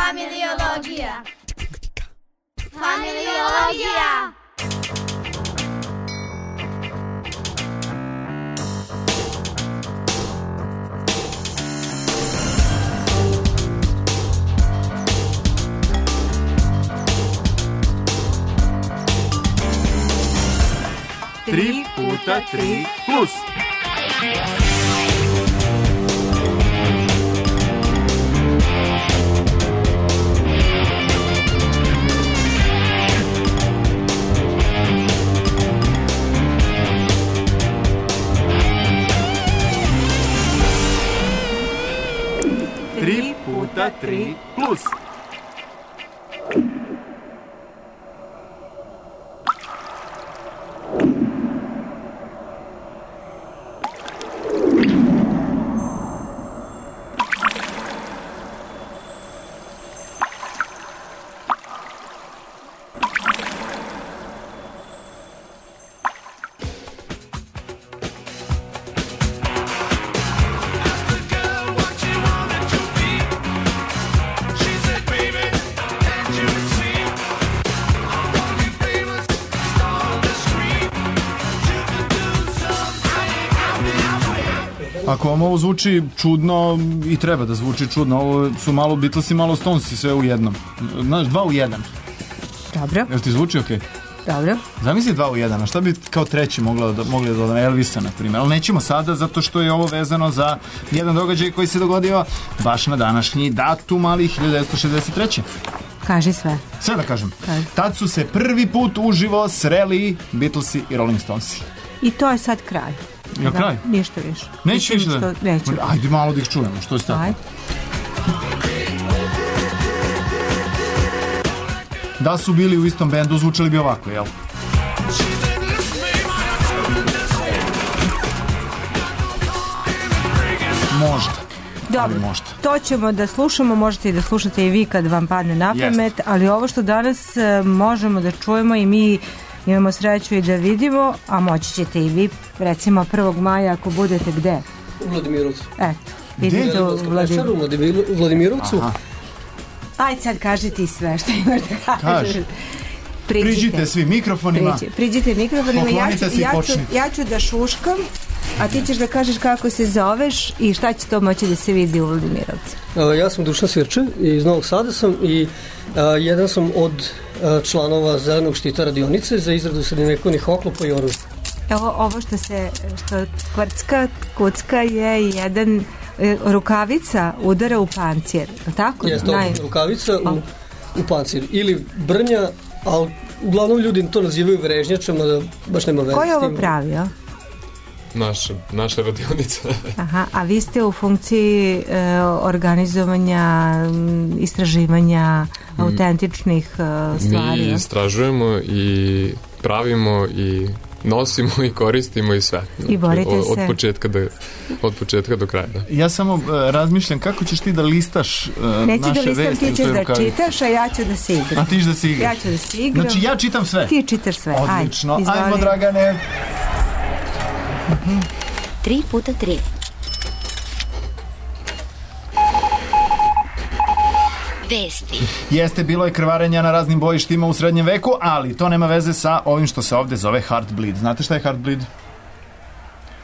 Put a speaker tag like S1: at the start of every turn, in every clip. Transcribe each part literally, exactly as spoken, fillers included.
S1: Familiologija. Familiologija.
S2: Tri puta tri plus. Tri puta tri plus. Ako vam ovo zvuči čudno, i treba da zvuči čudno, ovo su malo Beatlesi, malo Stonesi, sve u jednom. Znaš, dva u jedan.
S3: Dobro.
S2: Jel ti zvuči okej?
S3: Okay? Dobro.
S2: Zamisli dva u jedan, a šta bi kao treći mogla da, mogli da dodamo? Elvisa, na primjer. Ali nećemo sada, zato što je ovo vezano za jedan događaj koji se dogodio baš na današnji datum, ali hiljadu devetsto šezdeset treće.
S3: Kaži sve.
S2: Sve da kažem.
S3: Kaži.
S2: Tad su se prvi put uživo sreli Beatlesi i Rolling Stonesi.
S3: I to je sad kraj.
S2: Ja, kraj?
S3: Ništa više.
S2: Neću više da...
S3: Neću.
S2: Ajde malo da ih čujemo, što je tako?
S3: Ajde.
S2: Da su bili u istom bendu, zvučali bi ovako, jel? Možda.
S3: Dobro,
S2: možda.
S3: To ćemo da slušamo, možete i da slušate i vi kad vam padne na pamet,
S2: Jest.
S3: ali ovo što danas uh, možemo da čujemo i mi imamo sreću i da vidimo, a moći ćete i vi, recimo prvog maja ako budete gde?
S4: U Vladimirovcu.
S3: Eto, idete u Vladimirovcu.
S4: U Vladimirovcu.
S2: Aha.
S3: Ajde sad kaži ti sve što imaš da kažeš.
S2: Kaži. Priđite svi mikrofonima.
S3: Priđi, priđite mikrofonima. Ja ću, ja, ću, ja ću da šuškam, a ti ćeš da kažeš kako se zoveš i šta će to moći da se vidi u Vladimirovcu.
S4: Uh, ja sam Dušan Svirče, iz Novog Sada sam i uh, jedan sam od uh, članova Zelenog štita radionice za izradu srednjevekovnih oklopa i oružja.
S3: Evo ovo što se, što kvrcka, kucka je jedan e, rukavica udara u pancir, tako?
S4: Jeste to, Naj... rukavica u, u pancir ili brnja, ali uglavnom ljudi to nazivaju vrežnjačama, da baš nema veze s tim.
S3: Ko je ovo pravio?
S5: Naša, naša radionica.
S3: Aha, a vi ste u funkciji e, organizovanja, istraživanja mm. autentičnih e, stvari.
S5: Mi istražujemo i pravimo i nosimo i koristimo i sve.
S3: I borite
S5: od, od
S3: se.
S5: Početka do, od početka do kraja. Da.
S2: Ja samo uh, razmišljam kako ćeš ti da listaš uh,
S3: Neću
S2: naše
S3: da listam,
S2: vesti.
S3: ti ćeš da rukavi. Čitaš, a ja ću da se igram.
S2: A ti ćeš da se igraš.
S3: Ja ću da se igram.
S2: Znači ja čitam sve.
S3: Ti čitaš sve.
S2: Odlično.
S3: Ajde,
S2: ajmo Dragane.
S1: Tri puta tri. Vesti.
S2: Jeste, bilo je krvarenja na raznim bojištima u srednjem veku, ali to nema veze sa ovim što se ovde zove Heartbleed. Znate šta je Heartbleed?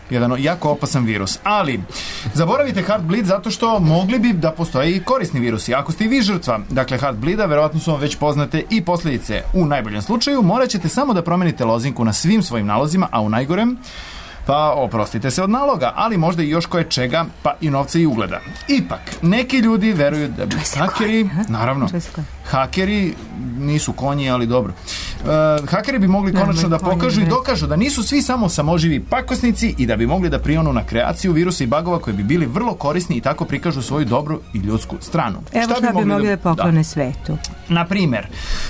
S2: Jedan jako opasan virus. Ali, zaboravite Heartbleed zato što mogli bi da postoje i korisni virusi. Ako ste i vi žrtva, dakle Heartbleeda, verovatno su vam već poznate i posljedice. U najboljem slučaju morat ćete samo da promenite lozinku na svim svojim nalozima, a u najgorem pa oprostite se od naloga, ali možda i još koje čega, pa i novca i ugleda. Ipak, neki ljudi veruju da bi hakeri, naravno, hakeri nisu konji, ali dobro. Uh, hakeri bi mogli konačno da pokažu i dokažu da nisu svi samo samoživi pakosnici i da bi mogli da prionu na kreaciju virusa i bagova koji bi bili vrlo korisni i tako prikažu svoju dobru i ljudsku stranu.
S3: Evo šta, šta bi mogli da poklone da. svetu.
S2: Na primer,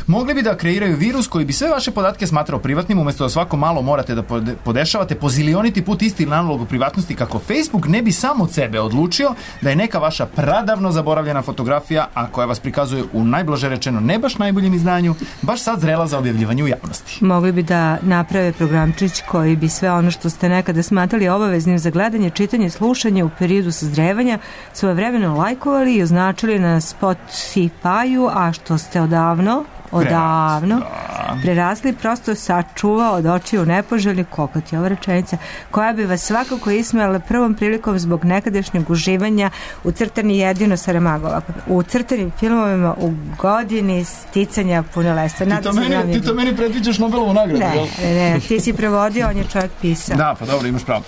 S2: mogli bi da kreiraju virus koji bi sve vaše podatke smatrao privatnim, umjesto da svako malo morate da podešavate po zilioniti put isti nalog o privatnosti, kako Facebook ne bi sam od sebe odlučio da je neka vaša pradavno zaboravljena fotografija, a koja vas prikazuje u najblaže rečeno ne baš najboljem izdanju, baš sad zrela za objavljivanje u javnosti.
S3: Mogli bi da naprave programčić koji bi sve ono što ste nekada smatrali obaveznim za gledanje, čitanje, slušanje u periodu sazrevanja svojevremeno lajkovali i označili na Spotify-u, a što ste odavno odavno prerasli, prosto sačuvao od očiju nepoželjni kokot je ova rečenica, koja bi vas svakako ismejala prvom prilikom zbog nekadašnjeg uživanja u crtani jedino Saramagova, u crtanim filmovima u godini sticanja punoletstva.
S2: Ti to meni, ti to meni predviđaš Nobelovu nagradu,
S3: ne,
S2: jel?
S3: Ne, ne, ti si prevodio, on je čovjek pisao.
S2: Da, pa dobro, imaš pravo.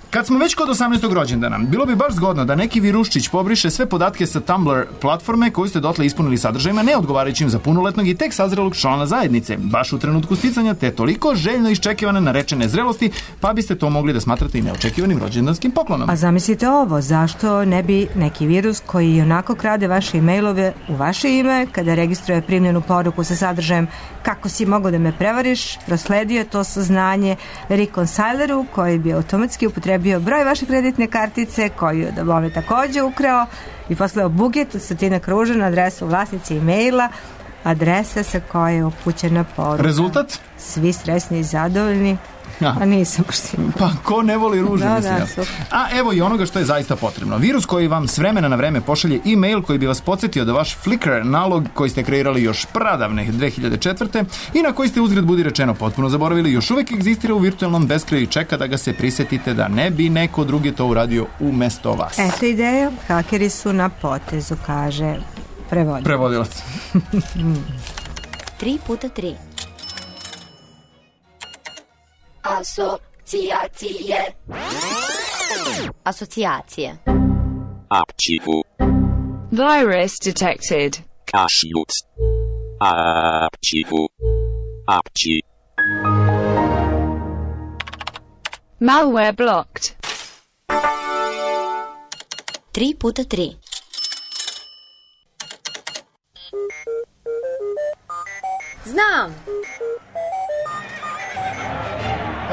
S2: Kad smo već kod osamnaestog rođendana, bilo bi baš zgodno da neki viruščić pobriše sve podatke sa Tumblr platforme koju ste dotle ispunili sadržajima neodgovarajućim za punoletnog i tek sazrelog člana zajednice, baš u trenutku sticanja te toliko željno iščekivane narečene zrelosti, pa biste to mogli da smatrate i neočekivanim rođendanskim poklonom.
S3: A zamislite ovo, zašto ne bi neki virus koji onako krade vaše e-mailove u vaše ime, kada registruje primljenu poruku sa sadržajem kako si mogao da me prevariš, prosledio to saznanje reconcileru koji bi automatski upotrebio broj vaše kreditne kartice koju da bome također ukrao i poslao buget od stotina kruža na adresu vlasnice e-maila, adresa sa koje je upućena poruka.
S2: Rezultat?
S3: Svi sresni i zadovoljni.
S2: Ja.
S3: A nisam pošto.
S2: Pa ko ne voli ruže,
S3: da,
S2: mislim.
S3: Da,
S2: a evo i onoga što je zaista potrebno. Virus koji vam s vremena na vreme pošalje e-mail koji bi vas podsjetio da vaš Flickr nalog koji ste kreirali još pradavne dve hiljade četvrte i na koji ste uzgred budi rečeno potpuno zaboravili, još uvijek egzistira u virtualnom beskraju i čeka da ga se prisjetite da ne bi neko drugi to uradio umesto vas.
S3: Eto ideja, hakeri su na potezu, kaže prevodilac.
S2: Prevodilac.
S1: Tri puta tri. Asocijacije. Asocijacije.
S6: Archivu.
S7: Virus detected.
S6: Kašljut. Archivu. Archi.
S7: Malware blocked.
S1: Tri puta tri. Znam.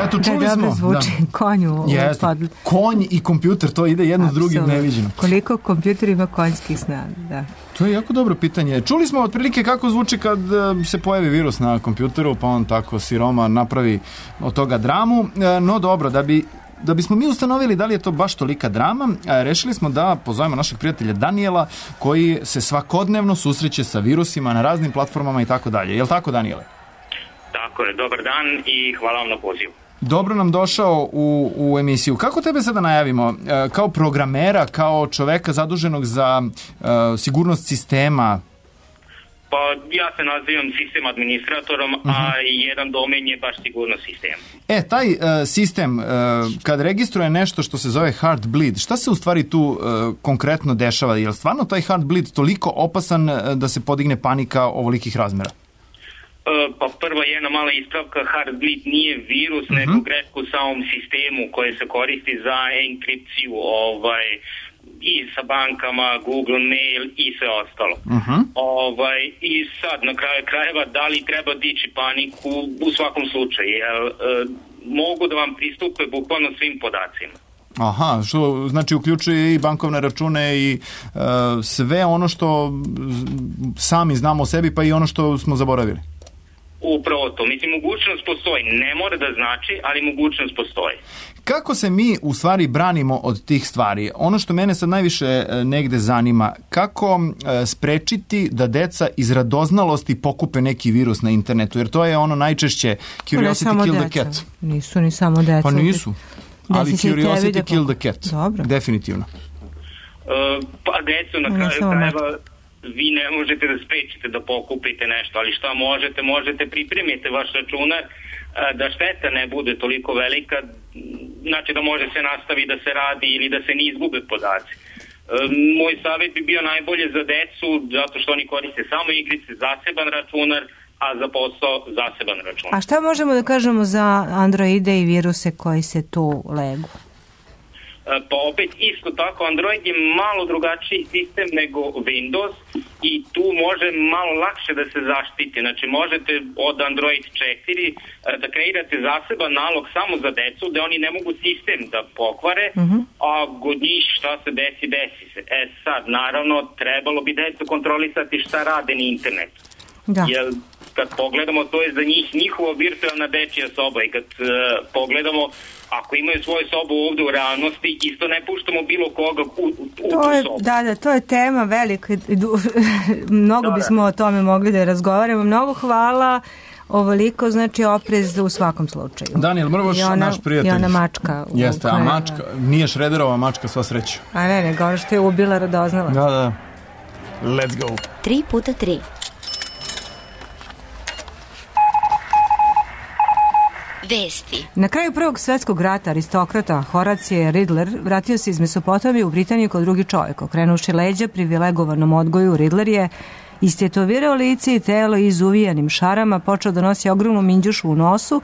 S2: Eto, čuli
S3: da,
S2: smo.
S3: Da, zvuči da. Konju.
S2: Jeste, konj i kompjuter, to ide jedno s drugim neviđeno.
S3: Koliko kompjuter ima konjskih snaga, da.
S2: To je jako dobro pitanje. Čuli smo otprilike kako zvuči kad se pojavi virus na kompjuteru, pa on tako siroma napravi od toga dramu. No dobro, da bi Da bismo mi ustanovili da li je to baš tolika drama, rešili smo da pozovemo našeg prijatelja Danijela, koji se svakodnevno susreće sa virusima na raznim platformama i tako dalje. Je li tako, Danijele?
S8: Tako je, dobar dan i hvala vam na pozivu.
S2: Dobro nam došao u, u emisiju. Kako tebe sada najavimo? Kao programera, kao čoveka zaduženog za uh, sigurnost sistema?
S8: Pa ja se nazivam sistem administratorom, uh-huh. a jedan domen je baš sigurnost sistema.
S2: E, taj uh, sistem, uh, kad registruje nešto što se zove Heartbleed, šta se u stvari tu uh, konkretno dešava? Je li stvarno taj Heartbleed toliko opasan uh, da se podigne panika ovolikih razmera?
S8: Uh, pa prva jedna mala ispravka, Heartbleed nije virus, uh-huh. nego greška u samom sistemu koje se koristi za enkripciju, ovaj... i sa bankama, Google Mail i sve ostalo. Uh-huh. Ovaj, i sad, na kraju krajeva, da li treba dići paniku u svakom slučaju, jer e, mogu da vam pristupe bukvalno svim podacima.
S2: Aha, što znači uključuje i bankovne račune i e, sve ono što sami znamo o sebi, pa i ono što smo zaboravili.
S8: Upravo to. Mislim, mogućnost postoji. Ne mora da znači, ali mogućnost postoji.
S2: Kako se mi u stvari branimo od tih stvari? Ono što mene sad najviše negde zanima, kako e, sprečiti da deca iz radoznalosti pokupe neki virus na internetu? Jer to je ono najčešće curiosity kill the cat.
S3: Nisu ni samo deca.
S2: Pa nisu. Ali curiosity kill the cat.
S3: Dobro.
S2: Definitivno.
S8: E, pa decu na kraju krajeva vi ne možete da sprečite da pokupite nešto, ali šta možete? Možete pripremiti vaš računar da šteta ne bude toliko velika, znači da može se nastavi da se radi ili da se ne izgube podaci. Moj savjet bi bio najbolje za decu, zato što oni koriste samo igrice, zaseban računar, a za posao zaseban računar.
S3: A šta možemo da kažemo za Androide i viruse koji se tu legu?
S8: pa opet isto tako Android je malo drugačiji sistem nego Windows i tu može malo lakše da se zaštiti. Znači možete od Android četiri da kreirate zaseban nalog samo za decu, da oni ne mogu sistem da pokvare, uh-huh. a god njih šta se desi, desi se. E sad, naravno, trebalo bi decu kontrolisati šta rade na internetu. Da. Jer kad pogledamo, to je za njih njihova virtualna dečija soba i kad uh, pogledamo, ako imaju svoju sobu ovde u realnosti, isto ne puštamo bilo koga u, u, u
S3: to je,
S8: tu sobu. Da,
S3: da, to je tema velika. Mnogo da, bismo da. o tome mogli da razgovaramo. Mnogo hvala. Ovoliko, znači oprez u svakom slučaju.
S2: Daniel Mrvoš, naš prijatelj.
S3: I ona mačka.
S2: Jeste, a mačka, nije Šrederova mačka, sva sreća.
S3: A ne, ne, ono što je ubila radoznala.
S2: Da, da. Let's go.
S1: Tri puta tri. Vesti.
S3: Na kraju Prvog svetskog rata aristokrata Horacije Ridler vratio se iz Mesopotamije u Britaniju kao drugi čovjek. Okrenuši leđa privilegovanom odgoju, Ridler je istetovirao lice i telo izuvijanim šarama, počeo da nosi ogromnu minđušu u nosu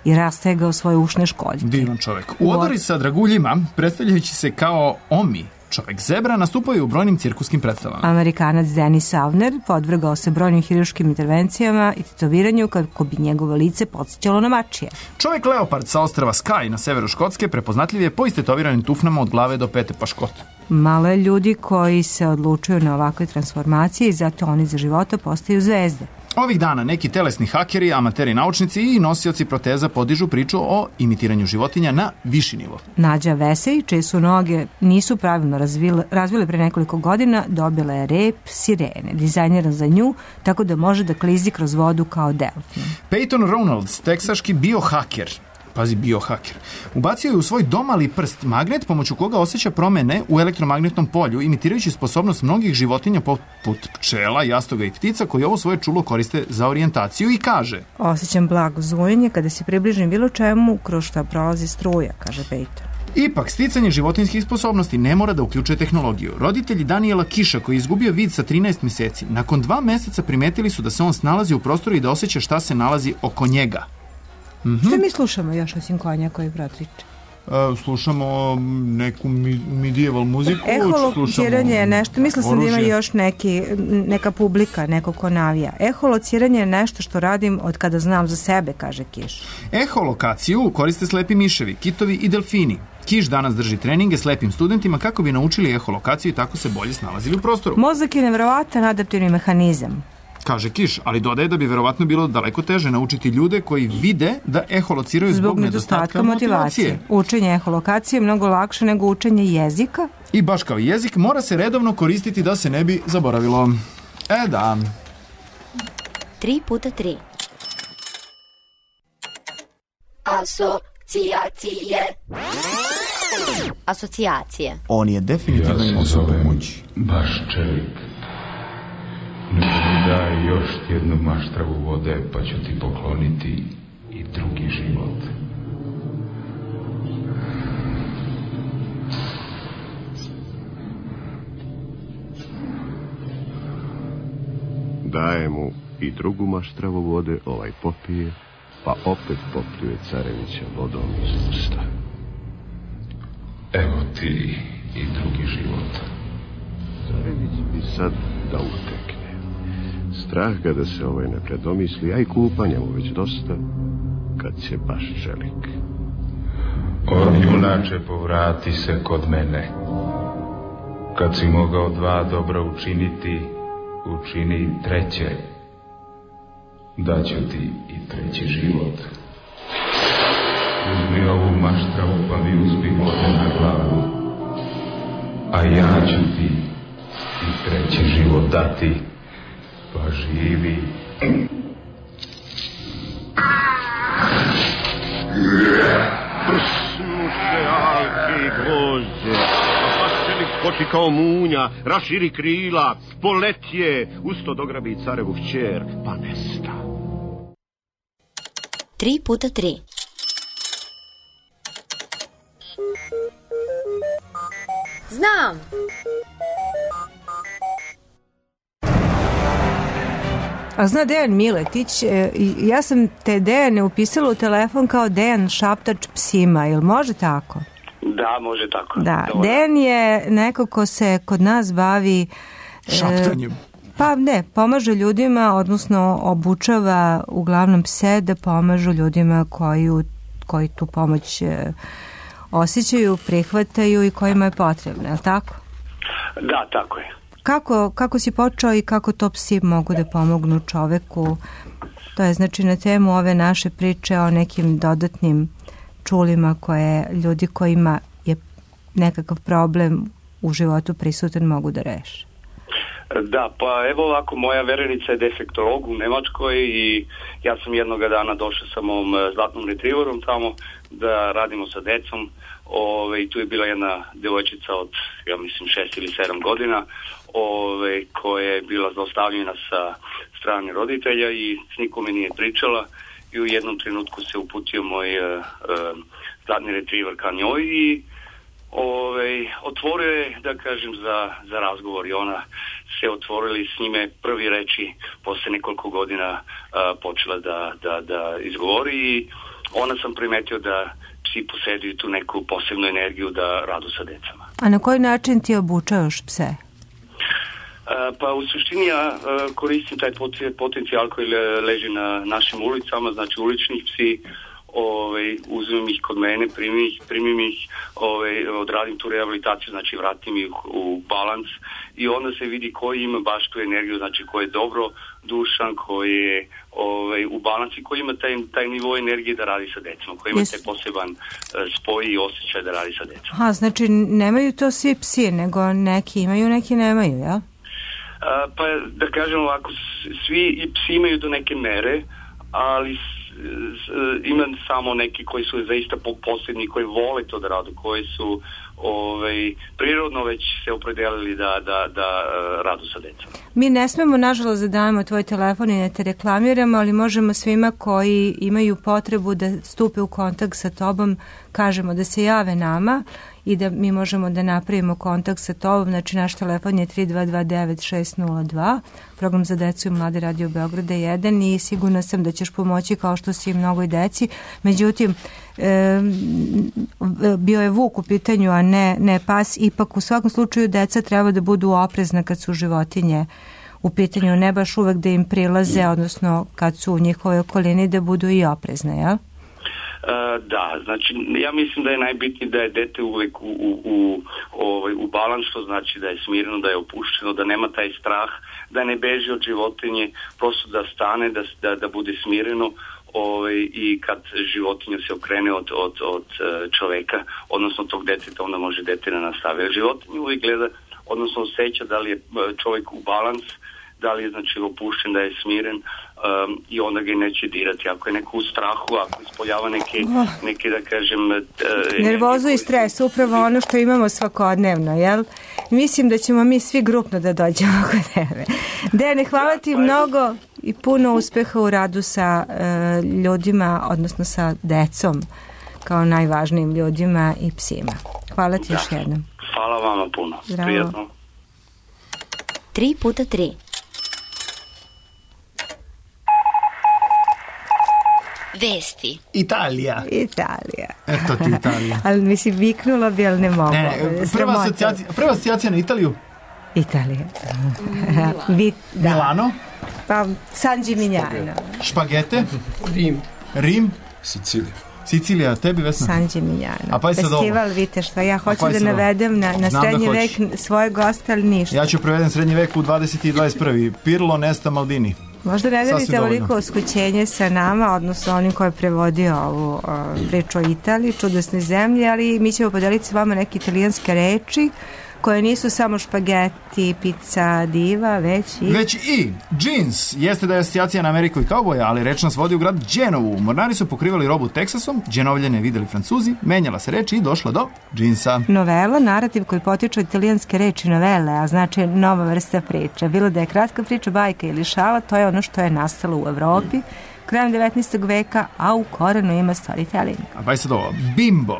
S3: i rastegao svoje ušne školjke.
S2: Divan čovjek. U odori sa draguljima, predstavljajući se kao Omi, čovjek zebra, nastupaju u brojnim cirkuskim predstavama.
S3: Amerikanac Denis Avner podvrgao se brojnim hirurškim intervencijama i tetoviranju kako bi njegovo lice podsjećalo na mačije.
S2: Čovjek leopard sa ostrva Skye na severu Škotske prepoznatljiv je po istetoviranim tufnama od glave do pete pa škot.
S3: Malo je ljudi koji se odlučuju na ovakve transformacije i zato oni za života postaju zvezde.
S2: Ovih dana neki telesni hakeri, amateri naučnici i nosioci proteza podižu priču o imitiranju životinja na viši nivo.
S3: Nađa Vesej, čije su noge nisu pravilno razvile, razvile pre nekoliko godina, dobila je rep sirene, dizajniran za nju, tako da može da klizi kroz vodu kao delfin.
S2: Peyton Ronalds, teksaški biohaker, pazi biohaker, ubacio je u svoj domali prst magnet pomoću koga osjeća promene u elektromagnetnom polju, imitirajući sposobnost mnogih životinja poput pčela, jastoga i ptica koji ovo svoje čulo koriste za orijentaciju i kaže:
S3: osjećam blago zvojenje kada se približim bilo čemu kroz šta prolazi struja, kaže Peyton.
S2: Ipak, sticanje životinjskih sposobnosti ne mora da uključuje tehnologiju. Roditelji Daniela Kiša, koji je izgubio vid sa trinaest meseci, nakon dva meseca primetili su da se on snalazi u prostoru i da osjeća šta se nalazi oko njega. Mm-hmm.
S3: Što mi slušamo još osim konja koji protriče?
S2: E, slušamo neku medieval muziku.
S3: Eholociranje je nešto, mislila sam da ima još neki, neka publika, neko ko navija. Eholociranje je nešto što radim od kada znam za sebe, kaže Kiš.
S2: Eholokaciju koriste slepi miševi, kitovi i delfini. Kiš danas drži treninge slepim studentima kako bi naučili eholokaciju i tako se bolje snalazili u prostoru.
S3: Mozak je nevjerovatan adaptivni mehanizam,
S2: kaže Kiš, ali dodaje da bi verovatno bilo daleko teže naučiti ljude koji vide da eholociraju zbog, zbog nedostatka motivacije. motivacije.
S3: Učenje eholokacije je mnogo lakše nego učenje jezika.
S2: I baš kao jezik, mora se redovno koristiti da se ne bi zaboravilo. E da.
S1: Tri puta tri. Asocijacije. Asocijacije.
S2: On je definitivno imao svoju moć.
S9: Baš čelik. Ne mi daj još jednu maštravu vode, pa ću ti pokloniti i drugi život.
S10: Daje mu i drugu maštravu vode, ovaj popije, pa opet popljuje carevića vodom iz usta.
S9: Evo ti i drugi život.
S10: Carević bi sad da utekne. Strah ga da se ovaj ne predomisli, a i kupanja mu već dosta, kad će baš čelik.
S9: O, junače, povrati se kod mene. Kad si mogao dva dobra učiniti, učini treće. Daću ti i treći život. Uzmi ovu maštravu pa mi uzmi vode na glavu. A ja ću ti i treći život dati. Pa živi.
S10: Prsnuše alke i gvožđe, a paščelik skoči kao munja, raširi krila, poletje, usto dograbi carevu hćer, pa nesta.
S1: Tri puta tri. Znam!
S3: A zna Dejan Miletić, ja sam te Dejane upisala u telefon kao Dejan Šaptač psima, ili može tako?
S11: Da, može tako.
S3: Da,
S11: Dobar.
S3: Dejan je neko ko se kod nas bavi...
S2: Šaptanjem.
S3: E, pa ne, pomaže ljudima, odnosno obučava uglavnom pse da pomažu ljudima koji, koji tu pomoć e, osjećaju, prihvataju i kojima je potrebno, je li tako?
S11: Da, tako je.
S3: Kako, kako si počeo i kako to psi mogu da pomognu čoveku? To je znači na temu ove naše priče o nekim dodatnim čulima koje ljudi kojima je nekakav problem u životu prisutan mogu da reše.
S11: Da, pa evo ovako, moja verenica je defektolog u Nemačkoj i ja sam jednoga dana došao sa mom zlatnom retriverom tamo da radimo sa decom. Ove, i tu je bila jedna devojčica od, ja mislim, šest ili sedam godina ove, koja je bila zaustavljena sa strane roditelja i s nikome nije pričala i u jednom trenutku se uputio moj uh, uh, zlatni retriver ka njoj i ove, otvorio je, da kažem, za, za razgovor i ona se otvorili s njime prvi reči posle nekoliko godina uh, počela da, da, da izgovori i ona sam primetio da psi posjeduju tu neku posebnu energiju da radu sa decama.
S3: A na koji način ti obučavaš pse?
S11: Uh, pa u suštini ja uh, koristim taj potencijal koji le, leži na našim ulicama, znači uličnih psi, ovaj, uzmem ih kod mene, primim ih, primim ih ovaj, odradim tu rehabilitaciju, znači vratim ih u balans i onda se vidi koji ima baš tu energiju, znači ko je dobro dušan, koji je ovaj, u balansi, koji ima taj, taj nivo energije da radi sa decom, koji ima yes. taj poseban uh, spoj i osjećaj da radi sa decom.
S3: Aha, znači nemaju to svi psi, nego neki imaju, neki nemaju, ja?
S11: Uh, pa da kažem ovako, svi i psi imaju do neke mere, ali ima samo neki koji su zaista posljednji, koji vole to da radu, koji su ovaj, prirodno već se opredelili da, da, da radu sa decom.
S3: Mi ne smemo, nažalost, da dajemo tvoj telefon i ne te reklamiramo, ali možemo svima koji imaju potrebu da stupe u kontakt sa tobom, kažemo da se jave nama i da mi možemo da napravimo kontakt sa tobom. Znači, naš telefon je tri dva dva devet šest nula dva, program za decu i mlade Radio Beograda jedan i sigurna sam da ćeš pomoći kao što si i mnogoj deci. Međutim, e, bio je vuk u pitanju, a ne, ne pas. Ipak, u svakom slučaju, deca treba da budu oprezna kad su životinje u pitanju, ne baš uvek da im prilaze, odnosno kad su u njihovoj okolini da budu i oprezne, jel?
S11: Uh, da, znači ja mislim da je najbitnije da je dete uvek u, u, u, ovaj, u balans, što znači da je smireno, da je opušteno, da nema taj strah, da ne beži od životinje, prosto da stane, da, da, da bude smireno ovaj, i kad životinja se okrene od, od, od čoveka, odnosno tog deteta, onda može dete da nastavi. Životinja uvek gleda, odnosno osjeća da li je čovjek u balans, da li je znači opušten, da je smiren um, i onda ga neće dirati. Ako je neko u strahu, ako ispoljava neke, neke da kažem... Uh,
S3: nervozu i stres, upravo ono što imamo svakodnevno, jel? Mislim da ćemo mi svi grupno da dođemo kod tebe. Dene, hvala ti mnogo i puno uspeha u radu sa uh, ljudima, odnosno sa decom, kao najvažnijim ljudima i psima. Hvala ti da. Još jednom.
S11: Hvala vama puno.
S3: Zdravo.
S11: Prijatno.
S1: Tri puta tri. Vesti.
S2: Italija.
S3: Italija.
S2: Eto ti Italija.
S3: Ali mi si viknula bi, ali ne mogu.
S2: Ne, ne, prva, asocijacija, prva asocijacija na Italiju?
S3: Italija. Vi, da.
S2: Milano?
S3: Pa San Gimignano.
S2: Špagete?
S4: Rim.
S2: Rim?
S5: Sicilija.
S2: Sicilija, tebi Vesna?
S3: San Gimignano.
S2: A pa
S3: festival, vidite šta, ja hoću da navedem na, na srednji
S2: da
S3: vek svoje goste, ali ništa.
S2: Ja ću prevedem srednji vek u dvadeseti i dvadeset prvi. Pirlo Nesta Maldini.
S3: Možda ne delite ovoliko uskućenje sa nama, odnosno onim koji je prevodio ovu uh, priču o Italiji, čudesne zemlje, ali mi ćemo podeliti s vama neke italijanske reči koje nisu samo špageti, pizza, diva, već i...
S2: Već i džins. Jeste da je asocijacija na Ameriku i kauboja, ali reč nas vodi u grad Dženovu. Mornari su pokrivali robu Teksasom, Dženovljane videli Francuzi, menjala se reč i došla do džinsa.
S3: Novela, narativ koji potiče od italijanske reči novele, a znači nova vrsta priče. Bilo da je kratka priča, bajka ili šala, to je ono što je nastalo u Evropi krajem devetnaestog veka, a u korenu ima storytelling.
S2: A pa je sad ovo, bimbo.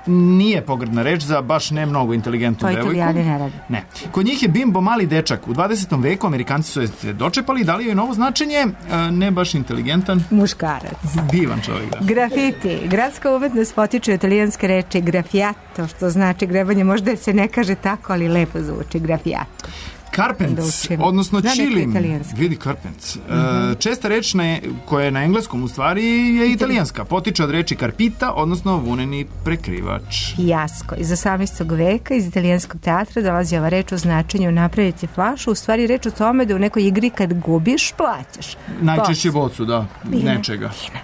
S2: nije pogrdna reč za baš ne mnogo inteligentnu devojku.
S3: To Italijani ne radi.
S2: Ne. Kod njih je bimbo mali dečak. U dvadesetom veku Amerikanci su je dočepali i dali joj novo značenje, ne baš inteligentan.
S3: Muškarac.
S2: Divan čovjek, da.
S3: Grafiti. Gradska umetnost potiče italijanske reči grafiato, što znači grebanje. Možda se ne kaže tako, ali lepo zvuči grafiato.
S2: Karpents, odnosno čilim. Vidi karpents. Mm-hmm. Česta reč na, koja je na engleskom u stvari je italijanska. Potiče od reči karpita, odnosno vuneni prekrivač.
S3: Fijasko. Iz osamnaestog veka iz italijanskog teatra dolazi ova reč o značenju napraviti flašu. U stvari reč o tome da u nekoj igri kad gubiš, plaćaš.
S2: Najčešće bocu, da. Bine, nečega.
S3: Bine.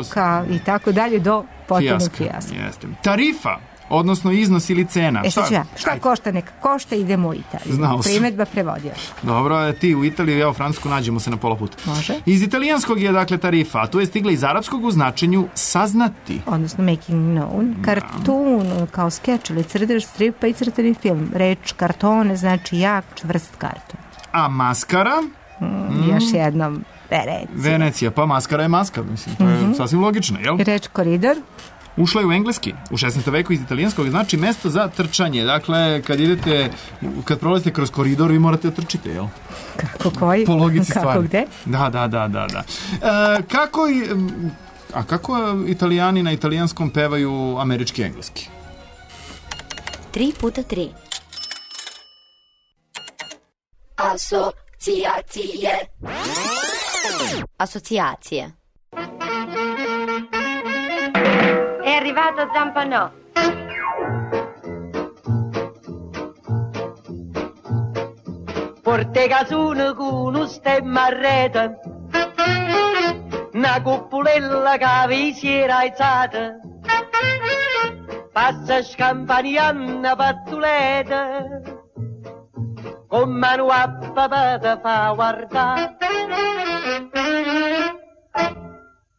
S3: Soka i tako dalje do potpunog fijaska.
S2: Jeste. Tarifa. Odnosno iznos ili cena.
S3: E, šta, šta, šta košta, neka košta, idemo u Italiju.
S2: Znao sam.
S3: Primedba prevodio.
S2: Dobro, ti u Italiju, ja u Francusku, nađemo se na pola puta.
S3: Može.
S2: Iz italijanskog je, dakle, tarifa, a tu je stigla iz arapskog u značenju saznati.
S3: Odnosno making known. Kartun, kao skeč ili crtež stripa i crteni film. Reč kartone znači jak, čvrst karton.
S2: A maskara?
S3: Mm, mm. Još jednom, Venecija.
S2: Venecija, pa maskara je maska, mislim, to je mm-hmm. sasvim logično, jel?
S3: Reč koridor?
S2: Ušla je u engleski. U šesnaestom veku iz italijanskog znači mesto za trčanje. Dakle, kad idete, kad prolazite kroz koridor, vi morate da trčite, jel?
S3: Kako koji?
S2: Po logici
S3: kako
S2: stvari.
S3: Gde?
S2: Da, da, da, da. da. E, kako i, a kako Italijani na italijanskom pevaju američki i engleski?
S1: Tri puta tri. Asocijacije. Asocijacije.
S12: È arrivato Zampanò. Porte casone con un stemma a rete, una cuppulella che vi si era alzata, passa scampanianna pattuleta, con mano a papà te fa guardare.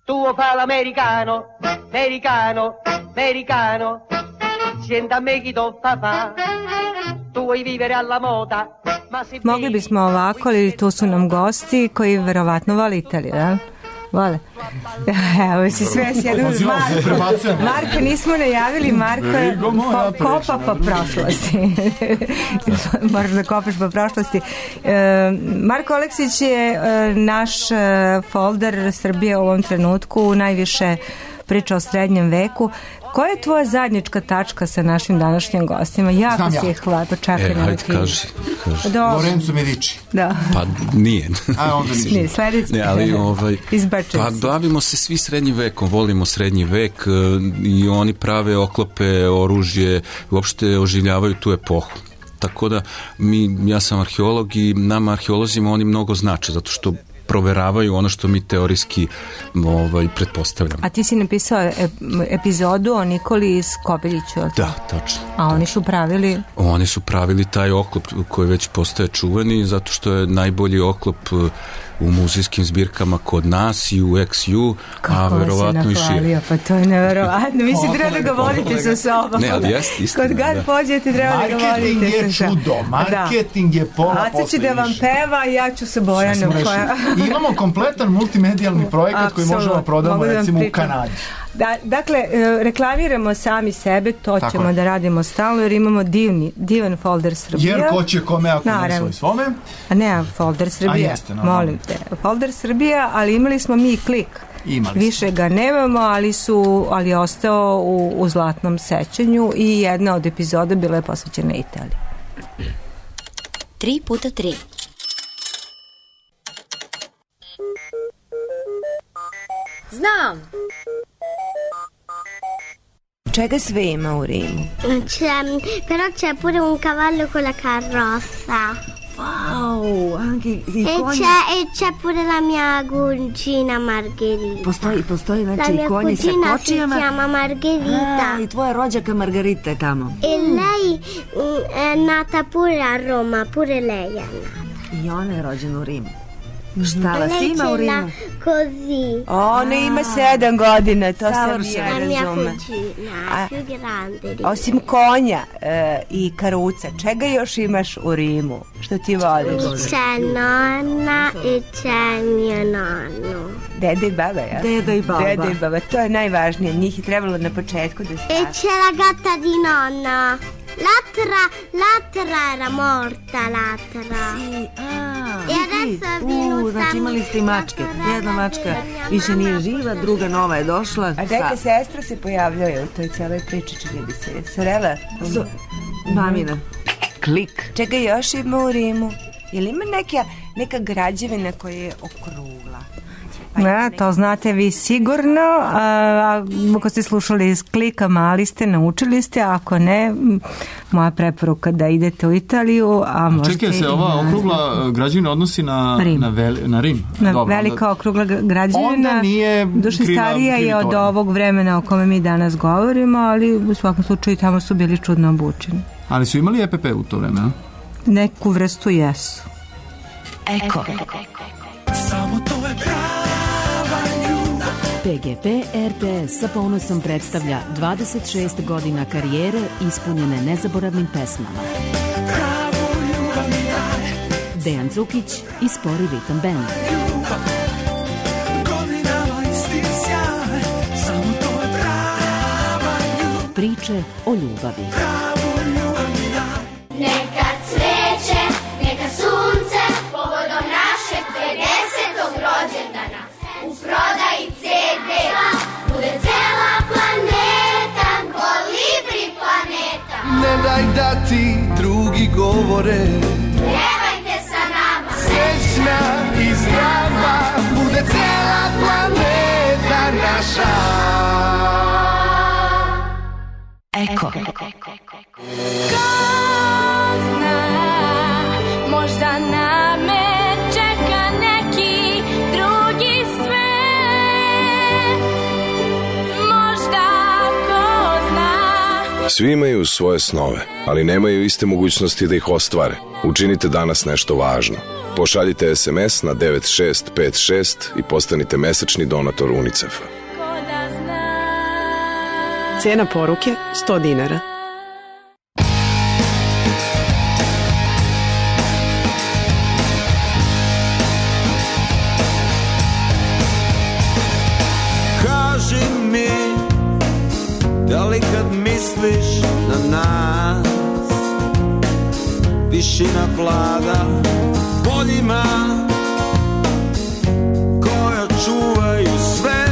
S12: Tu fa l'americano, americano, americano, senta a me chi to fa fa, tu vuoi vivere alla moda.
S3: Mogli bismo ovako, ali tu su nam gosti koji verovatno vole Italiju, jel? Vole. Evo si sve sjedu. Marko, Marko nismo najavili, Marko po, kopa po prošlosti. Moraš da kopaš po prošlosti. E, Marko Aleksić je e, naš e, folder Srbije u ovom trenutku, najviše priča o srednjem veku. Koja je tvoja zajednička tačka sa našim današnjim gostima? Jako Znam si ja. ih hvala, čakaj
S13: e,
S3: na
S13: hajde, kaži, kaži.
S2: Lorenzo Medici.
S3: Da.
S13: Pa nije.
S2: A onda ništa.
S3: Nije, sledeći.
S13: Ne, ali ovaj,
S3: Izbačen
S13: pa bavimo se svi srednjim vekom, volimo srednji vek i oni prave oklope, oružje, uopšte oživljavaju tu epohu. Tako da mi, ja sam arheolog i nama arheolozima oni mnogo znače, zato što proveravaju ono što mi teorijski ovaj, pretpostavljamo.
S3: A ti si napisao epizodu o Nikoli Skobeljiću.
S13: Da, tačno.
S3: A oni su pravili?
S13: Oni su pravili taj oklop koji već postaje čuveni, zato što je najbolji oklop u muzejskim zbirkama kod nas i u X U, a verovatno i šire.
S3: Pa to je neverovatno. Vi si treba da ga volite sa sobom.
S13: Ne, ali jest istina.
S3: Kod god pođete treba da ga volite sa sobom.
S2: Marketing je čudo, marketing je pola posle.
S3: Aca će da vam peva, ja ću sa Bojanom.
S2: Imamo kompletan multimedijalni projekat koji možemo prodamo recimo u Kanadi.
S3: Da, dakle, reklamiramo sami sebe, to Tako ćemo je. da radimo stalno, jer imamo divni, divan folder Srbija.
S2: Jer ko će kome ako ne svoj svome?
S3: A ne, folder Srbija, A jeste, no, molim te. Folder Srbija, ali imali smo mi klik.
S2: Imali
S3: Više
S2: smo.
S3: ga nemamo, ali, su, ali je ostao u, u zlatnom sećanju i jedna od epizoda bila je posvećena Italiji.
S1: Tri puta tri.
S14: Znam!
S3: Čega sve ima u Rimu?
S15: C'è, però c'è pure un cavallo con la carrozza.
S14: Wow, anche i
S15: e
S14: coni...
S15: c'è, e c'è pure la mia cugina Margherita.
S14: Postoji, postoji znači
S15: la
S14: i konji sa kočijama.
S15: La mia cugina si chiama Margherita.
S14: Ah, i tvoja rođaka Margarita je tamo.
S15: E lei è nata pure a Roma, pure lei è nata.
S14: I ona je rođena u Rimu. Šta vas ima u Rimu?
S15: Così.
S3: Ona ima sedam godina, to sam
S14: Savršeno.
S3: ja
S15: La mia
S3: razumem.
S15: cugina, più grande di me.
S3: Osim konja e, i karuca, čega još imaš u Rimu? Što ti voliš?
S15: C'è nonna e c'è mio nonno.
S3: Deda i baba, ja?
S14: Deda i baba.
S3: Deda i baba, to je najvažnije. Njih je trebalo na početku da
S15: E
S3: stavi.
S15: c'è la gatta di nonna. L'altra, l'altra era morta, l'altra. E adesso è
S14: U,
S15: venuta.
S14: znači imali ste i mačke. Jedna mačka više nije živa, druga nova je došla.
S3: A neka sestra se pojavljuje u toj celoj priči, čini mi se. Sorela?
S14: So, mamina. Klik.
S3: Čega još ima u Rimu? Je li ima neka, neka građevina koja je okrugla? Da, to znate vi sigurno. A, ako ste slušali iz Klika, mali ste, naučili ste. Ako ne, m, moja preporuka da idete u Italiju. A možete
S2: Čekaj, se
S3: i
S2: ova
S3: na-
S2: okrugla građevina odnosi na
S3: Rim.
S2: na, veli, na Rim.
S3: Na
S2: Dobro,
S3: velika
S2: onda-
S3: okrugla gra- građevina.
S2: Onda nije
S3: Duše
S2: kriva-
S3: starija
S2: krivi
S3: je od
S2: toranj.
S3: ovog vremena o kome mi danas govorimo, ali u svakom slučaju tamo su bili čudno obučeni.
S2: Ali su imali E P P u to vreme, a?
S3: Neku vrstu jesu.
S14: Eko.
S16: Samo to je prava ljubav.
S17: P G P R T S sa ponosom predstavlja dvadeset šest godina karijere ispunjene nezaboravnim pesmama.
S16: Pravu ljubav mi daj.
S17: Dejan Cukić i Spori Ritam Band.
S16: Ljubav. Godinama isti sjaj. Samo to je prava ljubav.
S17: Priče o ljubavi.
S16: Pravu ljubav mi daj.
S15: Neka cveće, neka sunce, povodom našeg pedesetog rođendana. U prodaji C D bude cela planeta, Kolibri planeta.
S16: Ne daj da ti drugi govore.
S15: Pjevajte sa nama.
S16: Srećna i zdrava bude cela planeta naša.
S14: Eko.
S15: Možda na me čeka neki drugi svet. Možda ko zna.
S18: Svi imaju svoje snove, ali nemaju iste mogućnosti da ih ostvare. Učinite danas nešto važno. Pošaljite S M S na devet šest pet šest i postanite mesečni donator UNICEF-a.
S19: Cena poruke sto dinara.
S16: Kaži mi, da li kad misliš na nas, tišina vlada poljima koja čuvaju sve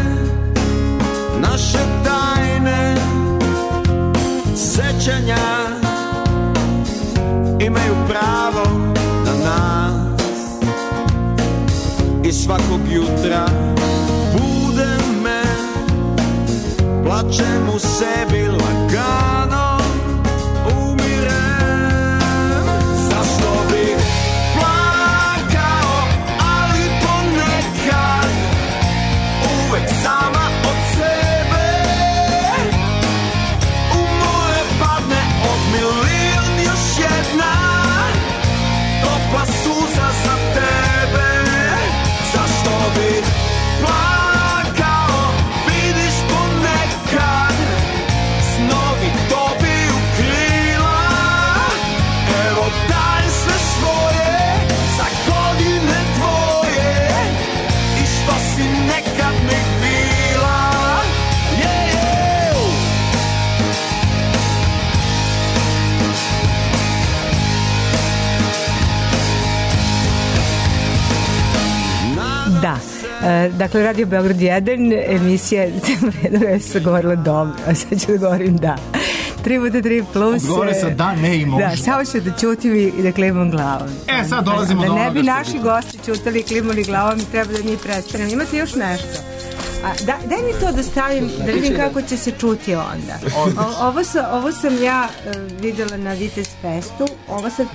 S16: naše tajne sećanja, imaju pravo na nas i svakog jutra bude me, plačem u sebi lagano, umirem. Zašto bih plakao, ali ponekad uvek sama od sebe u moje padne od milion još jedna topla suza za tebe. Zašto bih plakao, vidiš ponekad snovi dobiju krila. Evo daj sve svoje za godine tvoje i što si nekad mi bila. Yeah, yeah.
S3: Da. E, dakle, Radio Beograd jedan, emisija cijelo vreme je se govorila dobro, a sad ću da govorim da. tri puta tri plus.
S2: Odgovore sa da, ne i možda.
S3: Da, samo ću da ćutim i, i da klimam glavom.
S2: E, sad dolazimo
S3: da,
S2: do
S3: da ne
S2: onoga
S3: bi
S2: što
S3: naši
S2: bi-
S3: gosti ćutali i klimali glavom i treba da mi prestanemo. Imate još nešto? A, da, daj mi to da stavim, da vidim kako će se čuti onda. O, ovo, sam, ovo sam ja uh, videla na Vitez Festu. Ovo se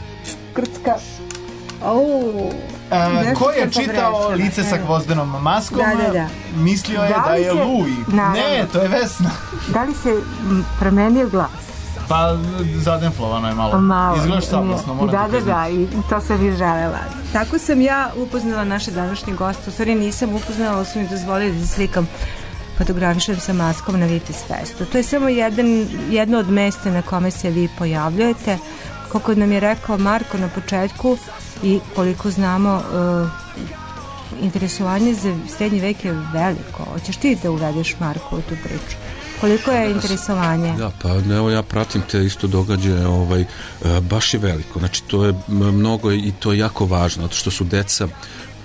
S3: krcka. Oh,
S2: E, ko je čitao Lice sa gvozdenom maskom,
S3: Da, da, da.
S2: mislio je
S3: Da
S2: da
S3: li
S2: je
S3: se-
S2: Luj.
S3: Naravno.
S2: Ne, to je Vesna.
S3: Da li se m, promenio glas?
S2: Pa, zadenflovano je malo.
S3: Malo.
S2: Izgledaš saplasno, moram
S3: da,
S2: ti
S3: da,
S2: priznati.
S3: da, i to sam i želela. Tako sam ja upoznala naše današnje goste. U stvari nisam upoznala, ali su mi dozvolili da se slikam, fotografišem sa maskom na Vitis Festu. To je samo jedan, jedno od mesta na kome se vi pojavljujete. Kako nam je rekao Marko na početku i koliko znamo, uh, interesovanje za srednji vek je veliko. Hoćeš ti da uvedeš, Marko, u tu priču? Koliko je interesovanje?
S13: Da, pa evo ja pratim te isto događaje, ovaj, baš je veliko. Znači to je mnogo i to je jako važno, zato što su deca